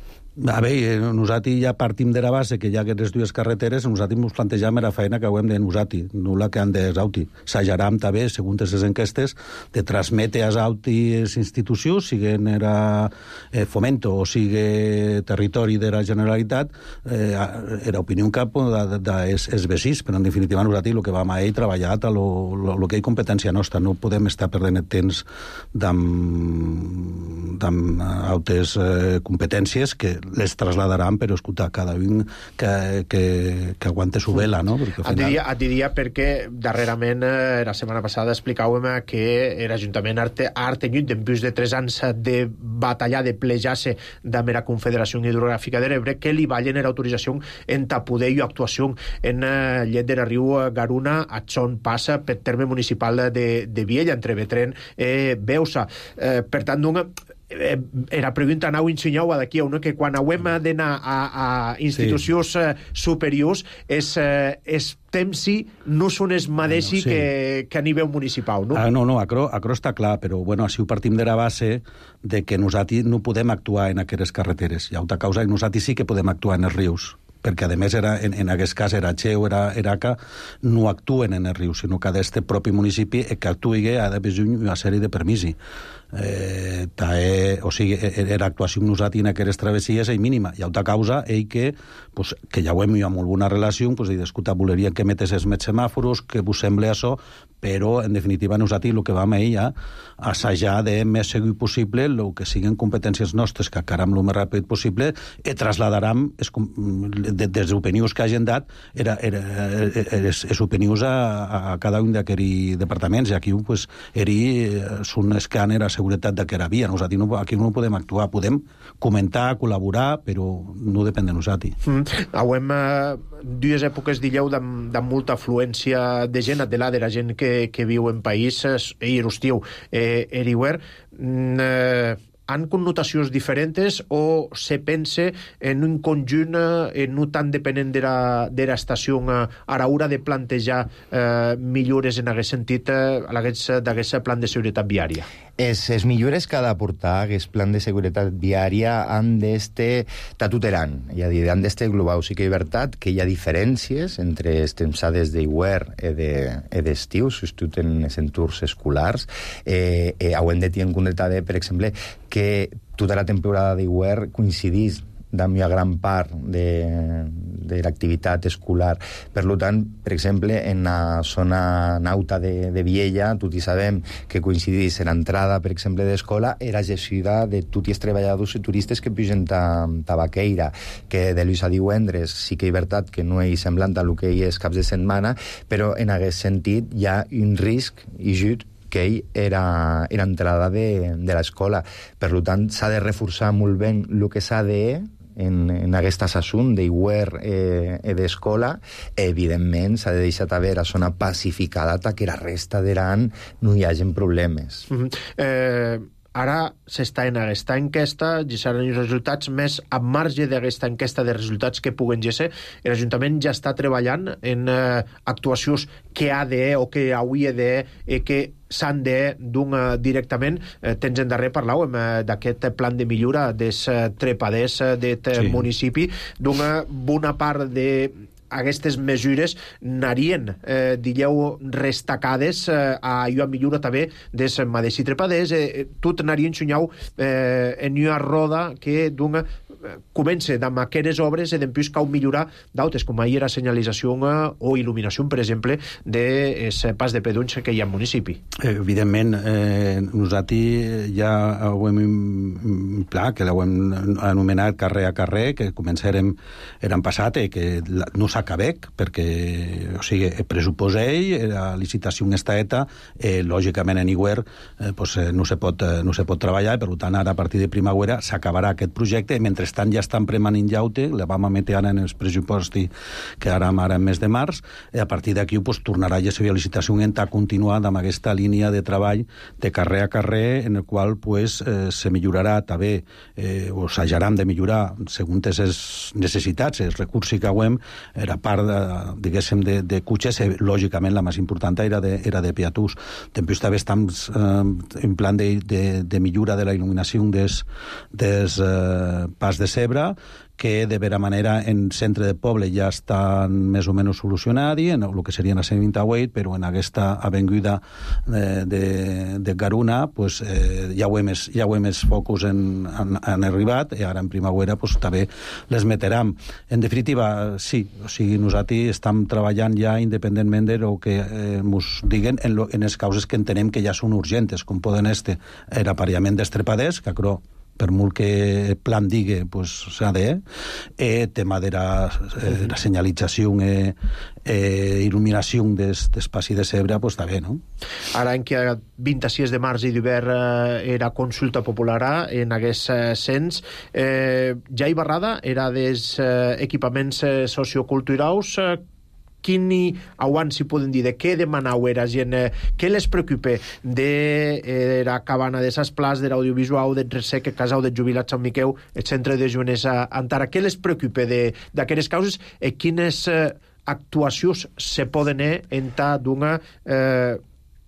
A veure, nosaltres ja partim de la base que hi ha aquestes dues carreteres, nosaltres ens plantejam la feina que hem de nosaltres, no la que han d'Esauti. S'ajaram també, segons les enquestes, de transmetre a Esauti les institucions, siguen era eh, Fomento o sigui territori de la Generalitat, eh, era opinió en cap dels de, vecins, però en definitiva nosaltres el que vam a ell treballat a lo, lo, lo que és competència nostra, no podem estar perdent el temps d'amb altres eh, competències que les trasladaran, però escolta, cada un que, que, que aguante su vela, no? Perquè al final... Et diria, et diria perquè darrerament, eh, la setmana passada explicàvem que l'Ajuntament ha tenyut d'empús de tres anys de batallar, de plejar-se amb la Confederació Hidrogràfica de l'Ebre, que li vallen l'autorització en poder i actuació en eh, llet de la riu Garuna, a on passa per terme municipal de, de Viella, entre Betren i eh, Beusa. Eh, per tant, una... Eh, era pregunta anau ensenyau d'aquí a una que quan hauem d'anar a, a institucions sí. superiors és, eh, és temps si no són els mateixos no, sí. que, que a nivell municipal, no? Ah, no, no, acro, acro està clar, però bueno, així ho partim de la base de que nosaltres no podem actuar en aquestes carreteres. Hi ha una causa que nosaltres sí que podem actuar en els rius, perquè a més era, en, en aquest cas era Xeu, era Eraca, no actuen en els rius, sinó que d'aquest propi municipi que actuï ha d'haver una sèrie de permisos. Eh, tae, o sigui, era actuació nosaltres en aquestes travessies és mínima. Hi ha una causa ell que, pues, que ja ho hem amb molt bona relació, pues, i d'escolta, voleria que metes els més semàforos, que vos sembla això, però en definitiva nosaltres el que vam a ella assajar de més segur possible el que siguin competències nostres, que acaram el més ràpid possible, i trasladaram des dels opinions que hagin dat era, era, les, les opinions a, a cada un d'aquests departaments, i aquí pues, eri, són els que han era seguretat de que era via. Nosaltres no, aquí no podem actuar, podem comentar, col·laborar, però no depèn de nosaltres. Mm. Hauem eh, dues èpoques, dilleu, amb molta afluència de gent, de la de la gent que, que viu en països, i l'estiu, eh, eriuer, mm, eh, han connotacions diferents o se pense en un conjunt eh, no tan depenent de la, de l'estació eh, a l'hora de plantejar eh, millores en aquest sentit eh, d'aquest plan de seguretat viària? Es, es millores que ha d'aportar aquest plan de seguretat viària han d'este tatuteran, és a dir, han d'este global. Sí que és veritat que hi ha diferències entre les tempsades d'hivern i d'estiu, sobretot en els entorns escolars. Eh, eh, haurem de tenir en compte, per exemple, que tota la temporada d'hivern coincidís amb una gran part de, de l'activitat escolar. Per tant, per exemple, en la zona nauta de, de Viella, tots sabem que coincidís l'entrada, per exemple, d'escola, era gestida de tots els treballadors i turistes que pugen a Tabaqueira, que de l'ús a divendres sí que és veritat que no és semblant a el que és caps de setmana, però en aquest sentit hi ha un risc i just que ell era, era entrada de, de l'escola. Per tant, s'ha de reforçar molt bé el que s'ha de en, en aquest assumpte d'hivern eh, i d'escola. Evidentment, s'ha de deixar haver a zona pacificada que la resta de l'any no hi hagi problemes. Mm-hmm. eh... Ara s'està en aquesta enquesta, i seran els resultats més a marge d'aquesta enquesta de resultats que puguen ser. L'Ajuntament ja està treballant en eh, actuacions que ha de o que hauria de i que s'han de d'un eh, directament. Eh, tens en darrer parlàvem eh, d'aquest plan de millora dels eh, trepaders eh, d'aquest sí. municipi, d'una bona part de aquestes mesures narien, eh, digueu, restacades eh, a jo a millora també des madeixi trepaders, eh, tot narien xunyau eh, en una roda que d'un comença amb aquestes obres i després cal millorar d'altres, com ahir la senyalització o il·luminació, per exemple, del pas de pedons que hi ha al municipi. Evidentment, eh, nosaltres ja ho hem clar, que l'hem anomenat carrer a carrer, que començarem l'any passat i que no s'acabec, perquè, o sigui, el pressupost ell, la licitació està eta, eh, lògicament en Iguer eh, pues, eh, no, se pot, eh, no se pot treballar, per tant, ara a partir de primavera s'acabarà aquest projecte, i mentre tant ja estan premanint llaute, la vam emetre ara en els pressupostos que ara ara en mes de març, i a partir d'aquí pues, tornarà ja la licitació en ta continuada amb aquesta línia de treball de carrer a carrer, en el qual pues, eh, se millorarà també, eh, o s'ajaran de millorar segons les necessitats, els recursos que hem, era part de, diguéssim, de, de cotxes, eh, lògicament la més important era de, era de peatús. Després també estem eh, en plan de, de, de millora de la il·luminació des, des eh, pas de Cebre, que de vera manera en centre de poble ja estan més o menys solucionats, en el que seria la C vint-i-vuit, però en aquesta avinguda de, de, de Garuna pues, eh, ja ho hem ja ho hem els focus en, en, han arribat, i ara en primavera pues, també les meteram. En definitiva, sí, o sigui, nosaltres estem treballant ja independentment de lo que eh, mos diguen en, lo, en les causes que entenem que ja són urgentes, com poden este l'aparellament d'estrepaders, que crec per molt que plan digui, pues, s'ha de, eh, tema de la, eh, la senyalització e eh, il·luminació des, d'espaci de Cebre, pues, també, no? Ara, en que vint-i-sis de març i d'hivern eh, era consulta popular en aquest eh, sens, eh, ja hi barrada era des eh, equipaments eh, socioculturals, eh, quin aguant s'hi poden dir, de què demanau era gent, eh, què les preocupa de eh, la cabana de ses plats, de l'audiovisual, del Resec, el casal de jubilats Sant Miquel, el centre de jovenès a Antara, què les preocupa d'aquestes causes i quines eh, actuacions se poden eh, entrar d'una eh,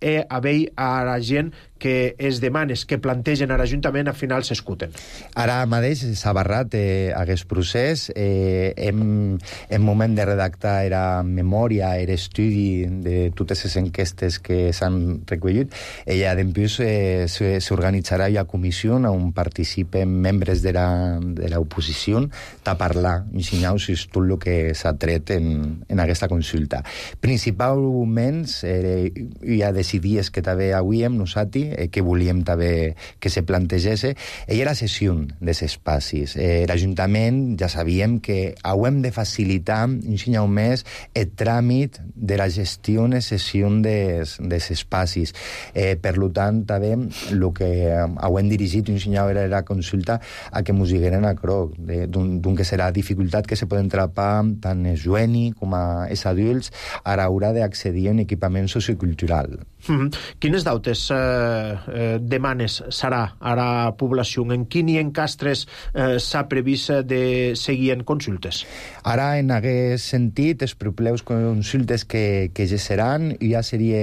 e haver a la gent que es demanes, que plantegen a l'Ajuntament, al final s'escuten. Ara mateix s'ha barrat eh, aquest procés. Eh, hem, en moment de redactar era memòria, era estudi de totes les enquestes que s'han recollit. I ja després eh, s'organitzarà una comissió on participen membres de l'oposició a parlar, ensenyar tot el que s'ha tret en, en aquesta consulta. Principalment, eh, hi ha decidies que també avui hem nosaltres eh, que volíem també que se plantegés, i era cessió dels espais. Eh, L'Ajuntament ja sabíem que hem de facilitar un més el tràmit de la gestió i cessió dels, dels espais. Eh, per tant, també el que hem dirigit un era la consulta a que ens digueren a croc, d'un que serà dificultat que se poden trapar tant els joves com els adults a l'hora d'accedir a un equipament sociocultural. Mm-hmm. Quines dautes eh, eh, demanes serà a la població? En quin i en castres eh, s'ha previst de seguir en consultes? Ara, en aquest sentit, els propeus consultes que, que ja seran, ja seria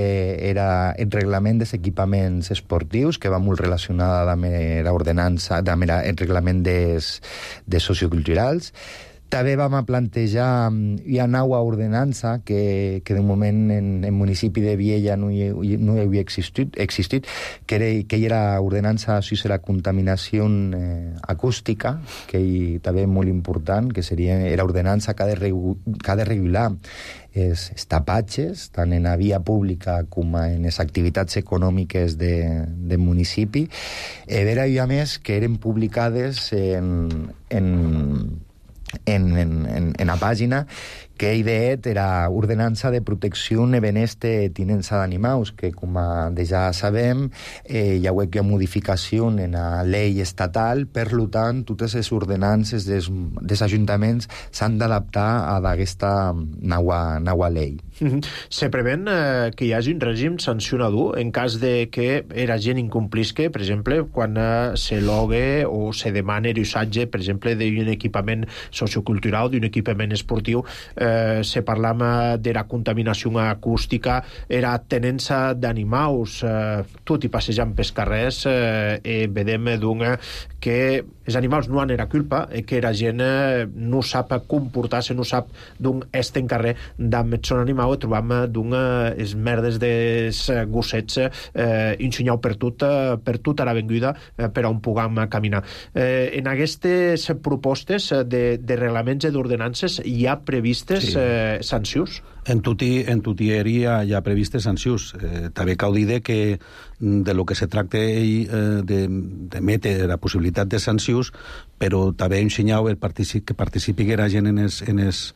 era el reglament dels equipaments esportius, que va molt relacionada amb l'ordenança, amb el reglament des, des socioculturals. També vam plantejar una nova ordenança que, que de moment en el municipi de Viella no hi, no hi havia existit, existit que, era, que era ordenança sobre la contaminació eh, acústica, que hi, també molt important, que seria l'ordenança que ha de, regu, que ha de regular els, els tapatges, tant en la via pública com en les activitats econòmiques de, del municipi. Eh, vera, i a més, que eren publicades en... en En, en, en la pàgina que ideet era ordenança de protecció i benestar tinença d'animals, que com ja sabem eh, hi ha una modificació en la llei estatal, per tant totes les ordenances dels, dels ajuntaments s'han d'adaptar a aquesta nova, nova llei. Mm-hmm. Se prevén eh, que hi hagi un règim sancionador en cas de que la gent incomplisque, per exemple, quan eh, se logue o se demana l'usatge, per exemple, d'un equipament sociocultural, d'un equipament esportiu, eh, eh, se parlam d'era contaminació acústica, era tenença d'animaus, eh, tot i passejant pels carrers, eh, e vedem d'un que els animals no han era culpa, e que la gent eh, no sap comportar-se, no sap d'un est en carrer d'amb son animal, e trobam d'un es merdes des gossets eh, ensenyau per tot, per tota l'avinguda eh, per on puguem caminar. Eh, en aquestes propostes de, de reglaments i d'ordenances hi ha previstes sí. eh, sancions? En tuti, en tutieria hi ha previstes sancions. Eh, també cal dir que de lo que se tracta eh, de, de metre la possibilitat de sancions, però també ensenyau el participi, que participi la gent en, es, en, es,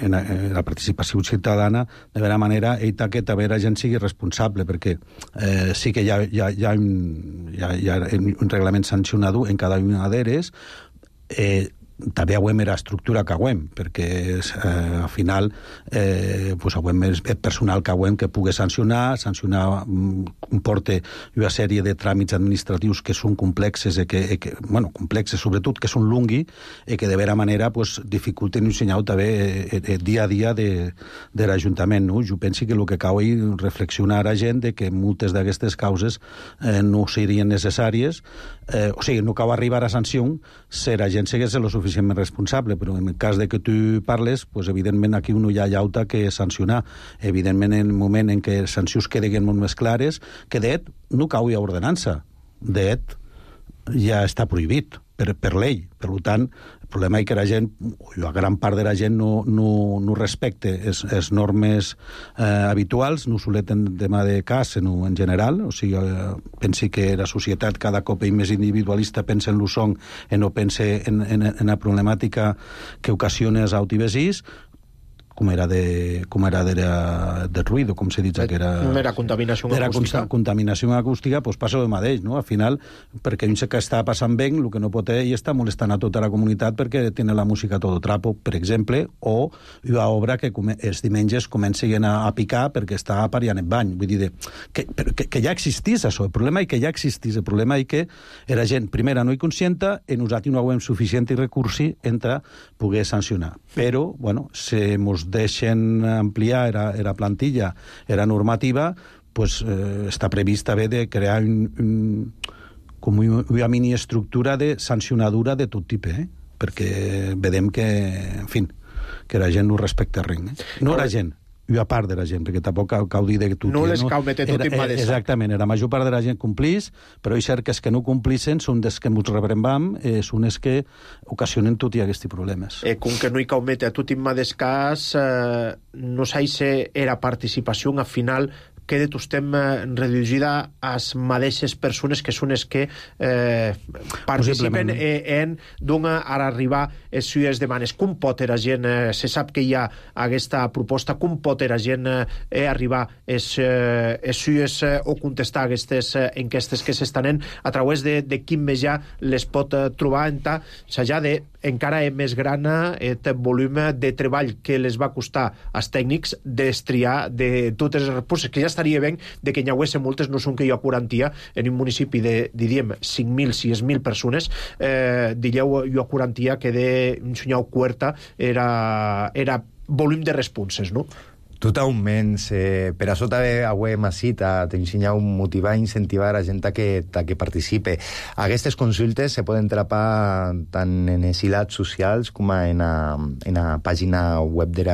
en, la, en la participació ciutadana, de vera manera ell que també la gent sigui responsable, perquè eh, sí que hi ha, hi ha, hi ha, un, hi ha, hi ha un reglament sancionador en cada una d'elles, eh, també hauem era estructura que hauem, perquè eh, al final eh, pues hauem el personal que hauem que pugui sancionar, sancionar comporta una sèrie de tràmits administratius que són complexes, i que, que, bueno, complexes sobretot, que són lungui, i que de vera manera pues, dificulten un senyal també eh, eh, dia a dia de, de l'Ajuntament. No? Jo penso que el que cal és reflexionar a la gent de que moltes d'aquestes causes eh, no serien necessàries, eh, o sigui, no cal arribar a sanció si la gent segueix lo suficient responsable, però en el cas de que tu parles, pues, evidentment aquí no hi ha llauta que sancionar. Evidentment, en el moment en què les sancions queden molt més clares, que d'et no cau a ordenança. D'et ja està prohibit per, per llei. Per tant, el problema és que la gent, la gran part de la gent no, no, no respecte les normes eh, habituals, no soleten tema de cas, sinó en general. O sigui, eh, pensi que la societat cada cop és més individualista, pensa en lo son i no pensa en, en, en la problemàtica que ocasiona els autovesís, com era de com era de, de ruïdo, com se dit que era... Era contaminació era acústica. Contaminació acústica, doncs passa el mateix, no? Al final, perquè un que està passant bé, el que no pot ell està molestant a tota la comunitat perquè té la música a todo trapo, per exemple, o una obra que els diumenges comencen a, a picar perquè està apariant el bany. Vull dir, que, que, que ja existís això. El problema és que ja existís. El problema és que era gent, primera, no hi conscienta, i nosaltres no hem suficient recursi entre poder sancionar. Però, bueno, se mos deixen ampliar era, era plantilla, era normativa, pues, eh, està previst haver de crear un, un, com una mini-estructura de sancionadura de tot tipus, eh? Perquè vedem que, en fi, que la gent no respecta res. Eh? No la gent, una part de la gent, perquè tampoc cal, cal dir que tot... No les cal meter tot en mà de sac. Exactament, la major part de la gent complís, però és cert que els que no complissin són dels que ens rebrembam, eh, són els que ocasionen tot i aquests problemes. Eh, com que no hi cal meter tot en mà de cas, eh, no sé era participació al final queda tostem reduïda a les mateixes persones que són les que eh, participen en d'una a arribar a les seues demanes. Com pot la gent, eh, se sap que hi ha aquesta proposta, com pot la gent eh, arribar a les eh, seues eh, o contestar aquestes eh, enquestes que s'estan a través de, de quin mitjà les pot eh, trobar en ta, s'ha de encara és més gran el volum de treball que les va costar als tècnics destriar de totes les respostes, que ja estaria bé de que n'hi hagués moltes, no són que hi ha quaranta en un municipi de, diríem, cinc mil, sis mil persones, eh, diríeu, hi ha quaranta que de un senyal quarta era, era volum de responses, no? Totalment. Eh, per això també avem ací t'ensenyar un motivar i incentivar a gent a que, a que participe. Aquestes consultes se poden trapar tant en els hilats socials com en la, en la pàgina web de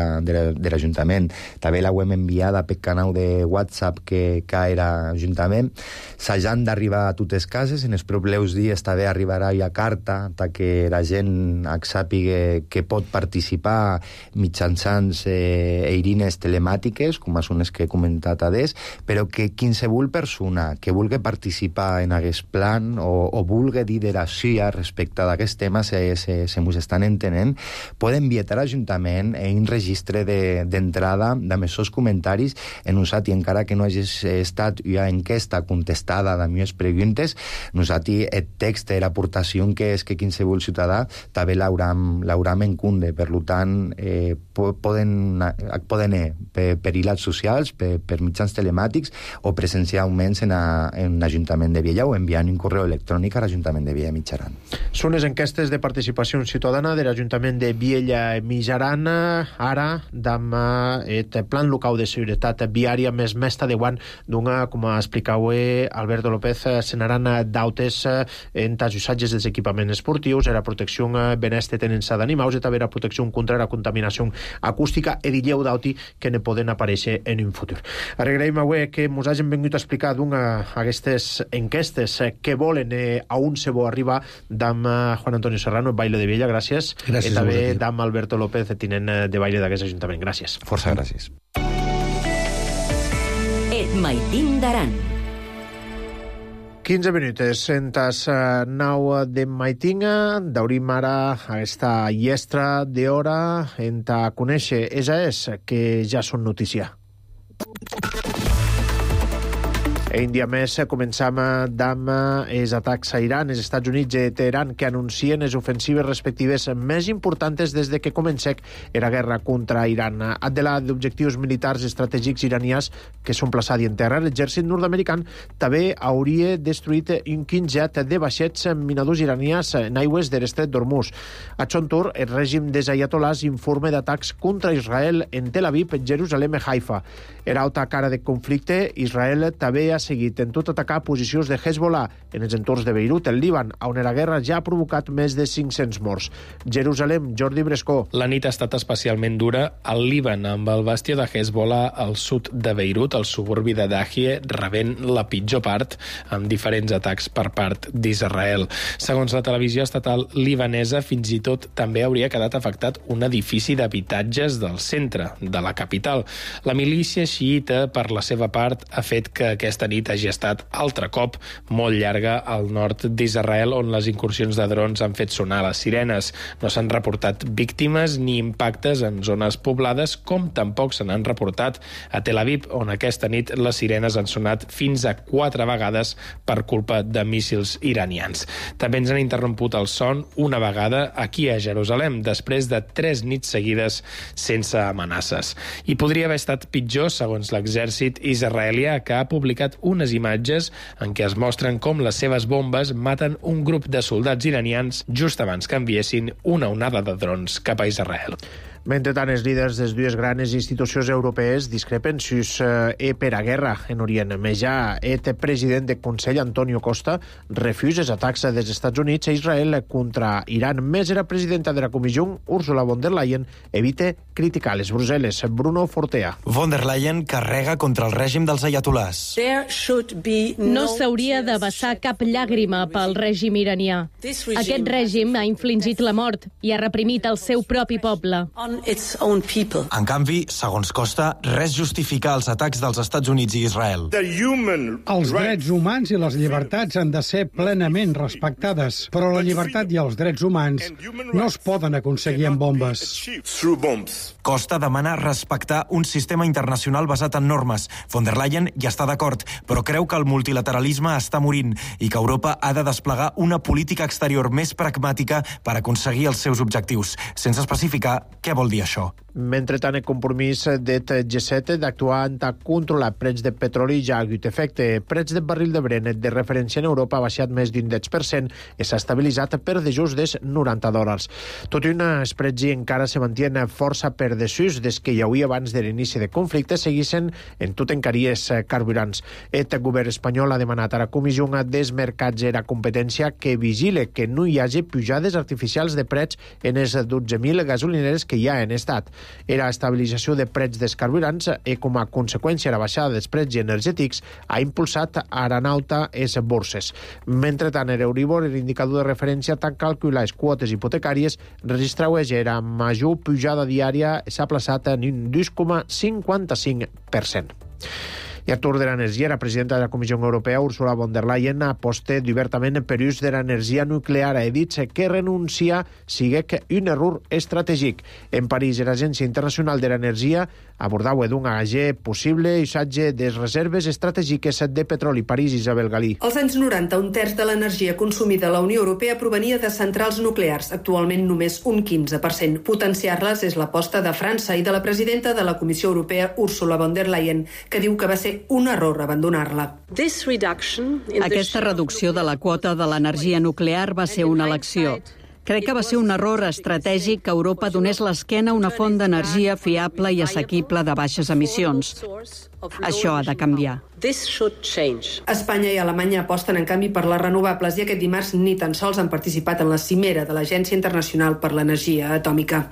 l'Ajuntament. També la hem enviada per canal de WhatsApp que, que era Ajuntament. S'han d'arribar a totes les cases. En els propers dies també arribarà ja carta que la gent sàpiga que pot participar mitjançant eh, eirines telemàtiques telemàtiques, com són les que he comentat adés, però que qualsevol persona que vulgui participar en aquest plan o, o vulgui dir de la suya respecte d'aquest tema, se, se, se mos estan entenent, poden enviar a l'Ajuntament en un registre d'entrada de, amb els seus comentaris en usat, i encara que no hagi estat una enquesta contestada de meves preguntes, nosaltres el text de l'aportació que és que qualsevol ciutadà també l'hauram en compte. Per tant, eh, poden, poden per, per hilats socials, per, per mitjans telemàtics o presencialment en, a, en l'Ajuntament de Viella o enviant un correu electrònic a l'Ajuntament de Viella Mitjaran. Són les enquestes de participació ciutadana de l'Ajuntament de Viella Mitjaran, ara amb el plan local de seguretat viària més mesta de guant d'una, com explicava Alberto López, senaran d'autes en els usatges dels equipaments esportius, era protecció beneste tenença d'animals i també era protecció contra la contaminació acústica i dilleu d'auti que ne poden aparèixer en un futur. Agraïm avui que ens hagin vingut a explicar d'una aquestes enquestes que volen eh, a on se vol arribar d'am Juan Antonio Serrano, Baile de Viella, gràcies. Gràcies. I també d'am Alberto López, tinent de Baile d'aquest Ajuntament. Gràcies. Força gràcies. Et maitin d'aran. quinze minuts en tas nau de maitinga, daurim ara aquesta llestra d'hora en ta conèixer esa és que ja són notícia. Un dia més començam amb els atacs a Iran, els Estats Units i Teheran, que anuncien les ofensives respectives més importants des de que comencec la guerra contra Iran. Adela d'objectius militars estratègics iranians que són plaçats en terra, l'exèrcit nord-american també hauria destruït un quinzet de vaixets minadors iranians en aigües de l'estret d'Hormuz. A Chontur, el règim dels ayatolás informa d'atacs contra Israel en Tel Aviv, Jerusalem i Haifa. En alta cara de conflicte, Israel també ha seguit en tot atacar posicions de Hezbollah en els entorns de Beirut, el Líban, on la guerra ja ha provocat més de cinc-cents morts. Jerusalem, Jordi Brescó. La nit ha estat especialment dura al Líban, amb el bastió de Hezbollah al sud de Beirut, al suburbi de Dahie, rebent la pitjor part, amb diferents atacs per part d'Israel. Segons la televisió estatal libanesa, fins i tot també hauria quedat afectat un edifici d'habitatges del centre, de la capital. La milícia xiita, per la seva part, ha fet que aquesta nit hagi estat altre cop molt llarga al nord d'Israel, on les incursions de drons han fet sonar les sirenes. No s'han reportat víctimes ni impactes en zones poblades, com tampoc se n'han reportat a Tel Aviv, on aquesta nit les sirenes han sonat fins a quatre vegades per culpa de míssils iranians. També ens han interromput el son una vegada aquí a Jerusalem, després de tres nits seguides sense amenaces. I podria haver estat pitjor, segons l'exèrcit israelià, que ha publicat unes imatges en què es mostren com les seves bombes maten un grup de soldats iranians just abans que enviessin una onada de drons cap a Israel. Mentrestant, els líders de les dues grans institucions europees discrepen si és eh, per a guerra en Orient. Més ja, el president del Consell, Antonio Costa, refusa els atacs dels Estats Units a Israel contra Iran. Més era presidenta de la Comissió, Ursula von der Leyen, evita criticar les Brussel·les. Bruno Fortea. Von der Leyen carrega contra el règim dels ayatolás. No s'hauria de vessar cap llàgrima pel règim iranià. Aquest règim ha infligit la mort i ha reprimit el seu propi poble. En canvi, segons Costa, res justifica els atacs dels Estats Units i Israel. Els drets humans i les llibertats han de ser plenament respectades, però la llibertat i els drets humans no es poden aconseguir amb bombes. Costa demana respectar un sistema internacional basat en normes. Von der Leyen hi està d'acord, però creu que el multilateralisme està morint i que Europa ha de desplegar una política exterior més pragmàtica per aconseguir els seus objectius, sense especificar què vol dir això. Mentrestant, el compromís del G set d'actuar en controlar preus de petroli ja ha hagut efecte. Preus de barril de Brent de referència en Europa ha baixat més d'un deu per cent i s'ha estabilitzat per de just dels noranta dòlars. Tot i una spread encara se mantiene força per desús des que hi havia abans de l'inici de conflicte, seguissin en tot encaries carburants. El govern espanyol ha demanat a la Comissió dels Mercats i la Competència que vigile que no hi hagi pujades artificials de preus en les dotze mil gasolineres que hi ha en estat. La estabilització de preus dels carburants i, com a conseqüència, la baixada dels preus energètics ha impulsat a aranauta les borses. Mentrestant, l'Euribor, l'indicador de referència, tant calcular les quotes hipotecàries, registrava la major pujada diària, s'ha plaçat en un dos coma cinquanta-cinc per cent. I Artur de l'Energia, la presidenta de la Comissió Europea, Ursula von der Leyen, aposta obertament per l'ús de l'energia nuclear. Ha dit que renunciar sigui un error estratègic. En París, l'Agència Internacional de l'Energia abordava d'un agé possible usatge de reserves estratègiques de petroli. París, Isabel Galí. Als anys noranta, un terç de l'energia consumida a la Unió Europea provenia de centrals nuclears. Actualment, només un quinze per cent. Potenciar-les és l'aposta de França i de la presidenta de la Comissió Europea, Ursula von der Leyen, que diu que va ser un error abandonar-la. Aquesta reducció de la quota de l'energia nuclear va ser una elecció. Crec que va ser un error estratègic que Europa donés l'esquena a una font d'energia fiable i assequible de baixes emissions. Això ha de canviar. Espanya i Alemanya aposten, en canvi, per les renovables i aquest dimarts ni tan sols han participat en la cimera de l'Agència Internacional per l'Energia Atòmica.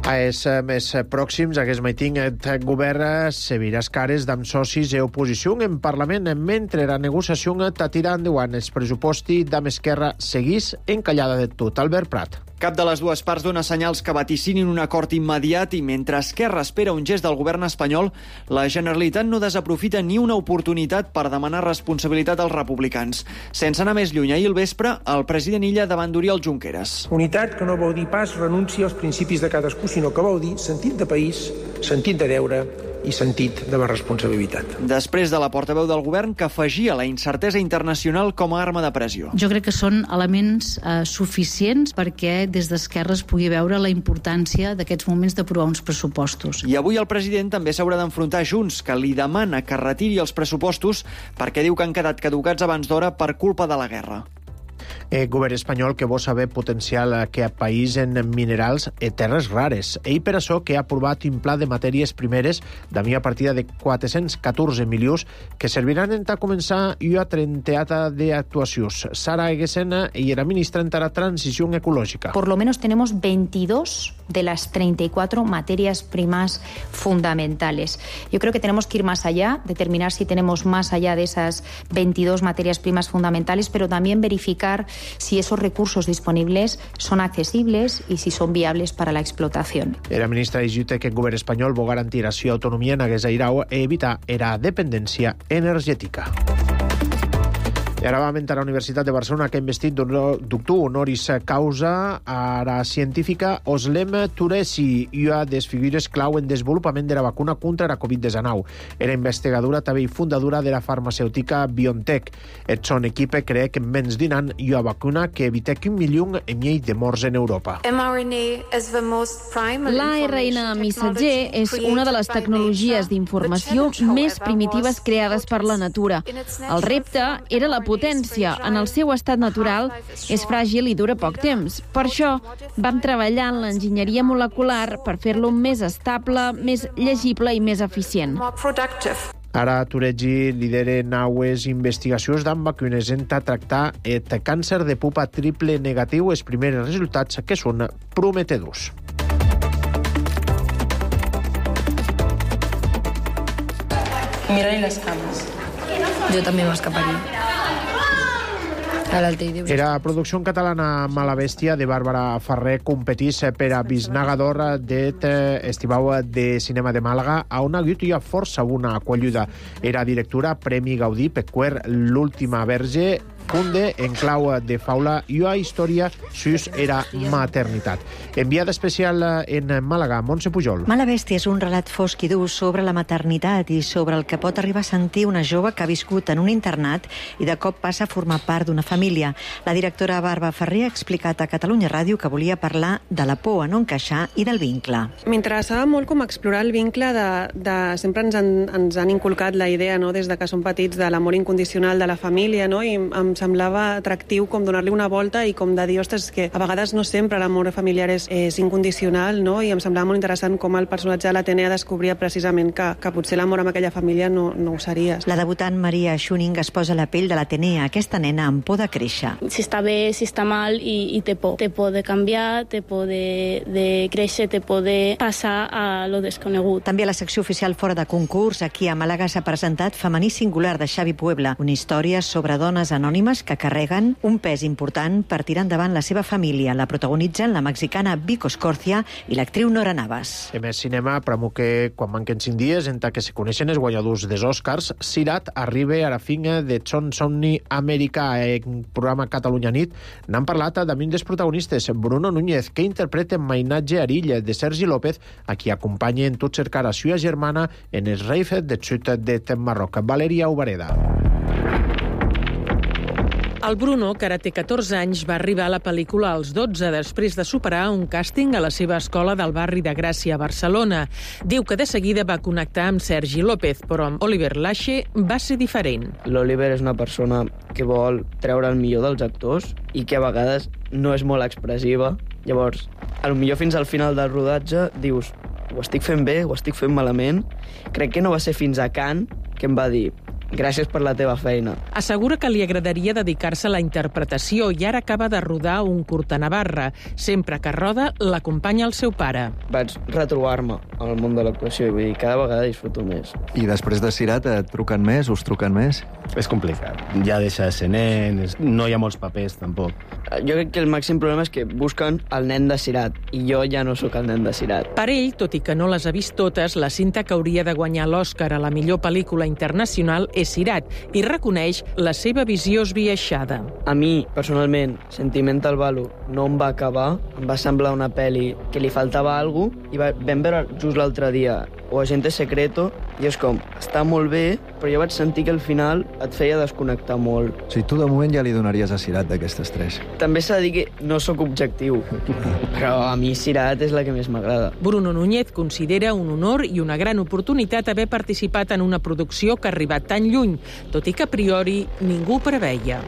A els més pròxims, aquest matí, el govern se virà les cares d'amb socis i oposició en Parlament, mentre la negociació està tirant endavant els pressupostos d'amb Esquerra seguís encallada de tot. Albert Prat. Cap de les dues parts dona senyals que vaticinin un acord immediat i mentre Esquerra espera un gest del govern espanyol, la Generalitat no desaprofita ni una oportunitat per demanar responsabilitat als republicans. Sense anar més lluny, ahir al vespre, el president Illa davant d'Oriol Junqueras. Unitat que no vol dir pas renúncia als principis de cadascú, sinó que vol dir sentit de país, sentit de deure i sentit de la responsabilitat. Després de la portaveu del govern que afegia la incertesa internacional com a arma de pressió. Jo crec que són elements eh, suficients perquè des d'Esquerra es pugui veure la importància d'aquests moments d'aprovar uns pressupostos. I avui el president també s'haurà d'enfrontar Junts, que li demana que retiri els pressupostos perquè diu que han quedat caducats abans d'hora per culpa de la guerra. El govern espanyol que vol saber potencial que a país en minerals i terres rares. Ell per això que ha aprovat un pla de matèries primeres de una partida de quatre-cents catorze milions que serviran a començar una trentena d'actuacions. Sara Eguesena i la ministra en la transició ecològica. Por lo menos tenemos veintidós de las treinta y cuatro materias primas fundamentales. Yo creo que tenemos que ir más allá, determinar si tenemos más allá de esas veintidós materias primas fundamentales, pero también verificar si esos recursos disponibles son accesibles y si son viables para la explotación. La ministra diu que el govern espanyol vol garantir la seva autonomia en aquest airau i evitar la dependència energètica. I ara va a la Universitat de Barcelona que ha investit doctor honoris causa a la científica Özlem Türeci, una de les figures clau en desenvolupament de la vacuna contra la covid diecinueve. Era investigadora també i fundadora de la farmacèutica BioNTech. El son equip cree que en menys d'un any hi ha vacuna que evita que un milió i mig de morts en Europa. L'A R N missatger és una de les tecnologies d'informació més primitives creades per la natura. El repte era la potència. En el seu estat natural és fràgil i dura poc temps. Per això vam treballar en l'enginyeria molecular per fer-lo més estable, més llegible i més eficient. Ara Türeci lidera naues investigacions d'amb vacunes en tractar el càncer de pupa triple negatiu. Els primers resultats que són prometedors. Mira-li les cames. Jo també m'escaparia. Era producció catalana Mala Bèstia de Bàrbara Ferrer competís per a Bisnaga d'Or d'et Estivau de Cinema de Màlaga a una guia força una qualluda. Era directora Premi Gaudí Pecuer l'última verge funde en clau de faula i una història sus era maternitat. Enviada especial en Màlaga, Montse Pujol. Mala Bèstia és un relat fosc i dur sobre la maternitat i sobre el que pot arribar a sentir una jove que ha viscut en un internat i de cop passa a formar part d'una família. La directora Bàrbara Ferrer ha explicat a Catalunya Ràdio que volia parlar de la por a no encaixar i del vincle. M'interessava molt com explorar el vincle de... de sempre ens han, ens han inculcat la idea, no?, des de que som petits, de l'amor incondicional de la família, no?, i em semblava atractiu com donar-li una volta i com de dir, ostres, que a vegades no sempre l'amor familiar és, és incondicional, no?, i em semblava molt interessant com el personatge de l'Atenea descobria precisament que, que potser l'amor amb aquella família no, no ho seria. La debutant Maria Schuning es posa a la pell de l'Atenea, aquesta nena amb por de créixer. Si està bé, si està mal i, i té por. Té por de canviar, té por de, de créixer, té por de passar a lo desconegut. També a la secció oficial fora de concurs, aquí a Màlaga s'ha presentat Femení singular de Xavi Puebla, una història sobre dones anònimes llàgrimes que carreguen un pes important per tirar endavant la seva família. La protagonitzen la mexicana Vico Scorcia i l'actriu Nora Navas. En més cinema, premo que quan manquen cinc dies en que se coneixen els guanyadors dels Oscars, Sirat arriba a la finga de Son Somni Americà. En programa Catalunya Nit n'han parlat amb un dels protagonistes, Bruno Núñez, que interpreta Mainatge Arilla de Sergi López, a qui acompanya en tot cercar a sua germana en el Rave de Xut de Marroc. Valeria Ubareda. El Bruno, que ara té catorze anys, va arribar a la pel·lícula als dotze després de superar un càsting a la seva escola del barri de Gràcia a Barcelona. Diu que de seguida va connectar amb Sergi López, però amb Oliver Lache va ser diferent. L'Oliver és una persona que vol treure el millor dels actors i que a vegades no és molt expressiva. Llavors, a lo millor fins al final del rodatge dius ho estic fent bé, ho estic fent malament. Crec que no va ser fins a Cannes que em va dir gràcies per la teva feina. Assegura que li agradaria dedicar-se a la interpretació i ara acaba de rodar un curt a Navarra. Sempre que roda, l'acompanya el seu pare. Vaig retrobar-me al món de l'actuació i vull dir, cada vegada disfruto més. I després de Sirat et truquen més, us truquen més? És complicat. Ja deixa de ser nen, no hi ha molts papers, tampoc. Jo crec que el màxim problema és que busquen el nen de Sirat i jo ja no sóc el nen de Sirat. Per ell, tot i que no les ha vist totes, la cinta que hauria de guanyar l'Oscar a la millor pel·lícula internacional és Sirat i reconeix la seva visió esbiaixada. A mi, personalment, Sentimental Value no em va acabar, em va semblar una pel·li que li faltava alguna cosa i vam veure just l'altre dia O Agente Secreto i és com, està molt bé, però jo vaig sentir que al final et feia desconnectar molt. O sigui, tu de moment ja li donaries a Sirat d'aquestes tres. També s'ha de dir que no sóc objectiu, però a mi Sirat és la que més m'agrada. Bruno Núñez considera un honor i una gran oportunitat haver participat en una producció que ha arribat tan lluny, tot i que a priori ningú preveia.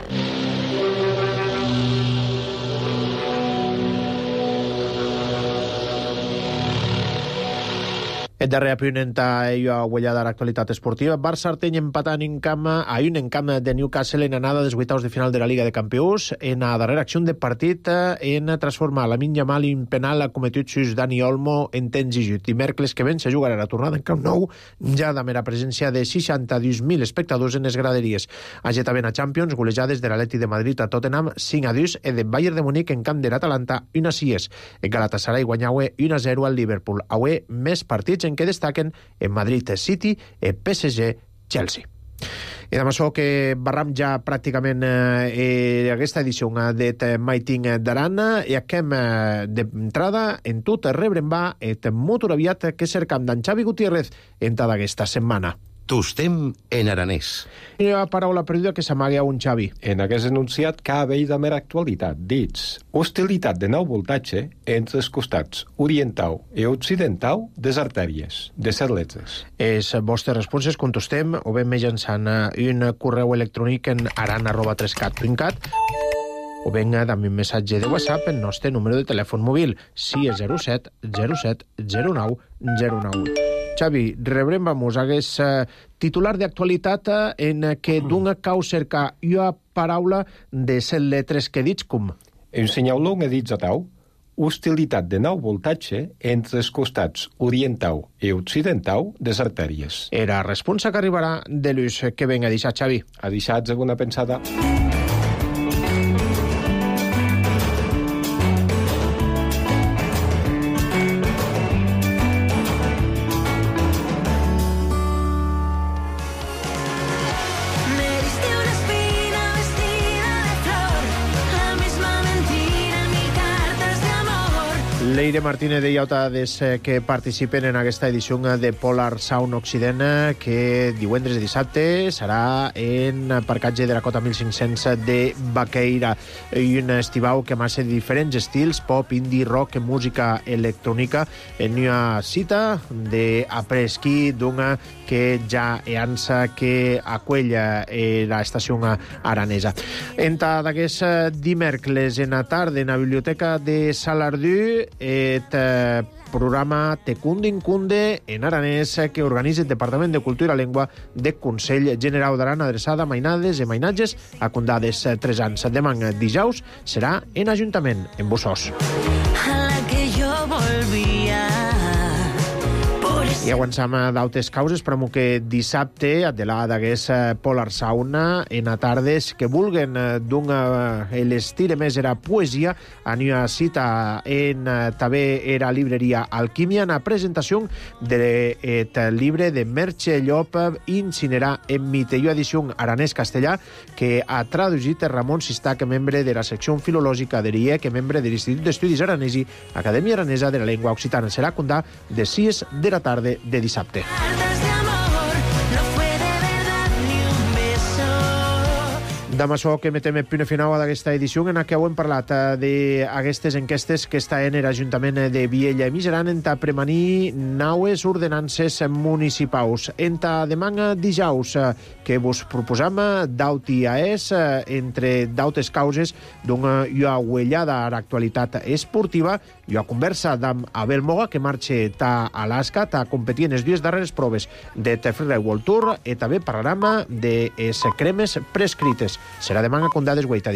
El darrer apunt a ella huella de l'actualitat esportiva. Barça Arteny empatant en camp a un en camp de Newcastle en anada dels vuitaus de final de la Liga de Campions. En la darrera acció de partit en transformar Lamine Yamal en penal cometut sus Dani Olmo en temps i jut. Dimecres que ven se jugarà la tornada en Camp Nou, ja de mera presència de seixanta-dos mil espectadors en les graderies. Agetament a Champions, golejades de l'Atleti de Madrid a Tottenham cinc a dos i de Bayern de Múnich en camp de l'Atalanta un a sis. En Galatasaray guanyaue un a zero al Liverpool. Avui més partits en què destaquen en Madrid City, en P S G, Chelsea. I amb això que barram ja pràcticament eh, aquesta edició de Maiting d'Aran i acabem eh, d'entrada en tot rebrem va et molt aviat que cercam d'en Xavi Gutiérrez en tota aquesta setmana. Tostem en aranès. I la paraula perduda que s'amaga a un Xavi. En aquest enunciat cal haver de mera actualitat. Dits, hostilitat de nou voltatge entre els costats oriental i occidental de les artèries, de les letres. Les vostres responses contestem o bé mitjançant un correu electrònic en aran arroba trescat punt cat o venga amb un missatge de WhatsApp el nostre número de telèfon mòbil sis zero set zero set zero nou zero nou. Xavi, rebrem, vamos, hagués uh, titular d'actualitat uh, en què d'una cau cerca una paraula de set letres que dits com? En senyaló que dits a tau, hostilitat de nou voltatge entre els costats oriental i occidental de les artèries. Era responsa que arribarà de l'ús que ven a deixar, Xavi. A deixar alguna pensada? Leire Martínez de Iautades que participen en aquesta edició de Polar Sound Occident que divendres i dissabte serà en parcatge de la cota mil cinc-cents de Baqueira i un estivau que massa diferents estils, pop, indie, rock, música electrònica en una cita d'apresquí d'una que ja eança que aquella l'estació aranesa. Enta d'aquest dimecres en la tarda en la biblioteca de Salardú et programa Tecundin Cunde en aranès que organitza el Departament de Cultura i Llengua de Consell General d'Aran adreçada a mainades i mainatges a condades tres anys. Demà dijous serà en Ajuntament, en Bossòs. A la que yo volvía por I avançam d'altres causes, però que dissabte a de la d'hagués Polar Sauna en a tardes que vulguen d'un l'estire més era poesia a una cita en també era libreria Alquimia en la presentació del llibre de Merche Llop Incinerar en Mitelló edició aranès-castellà que ha traduït Ramon Sistac, membre de la secció filològica de l'I E C, membre de l'Institut d'Estudis Aranesi, Acadèmia Aranesa de la Llengua Occitana. Serà condà de sis de la tarda de dissabte. Amb això que metem el punt final d'aquesta edició en què hem parlat d'aquestes enquestes que està en l'Ajuntament de Viella i Miseran en ta premanir naues ordenances municipals. En ta demà dijous que vos proposam d'auti a es entre d'autes causes d'una uellada a l'actualitat esportiva i a conversa amb Abel Moga que marxa ta Alaska ta competir en les dues darreres proves de The Freeride World Tour i també parlarem de les cremes prescrites. Serà demà a Condades Guaita.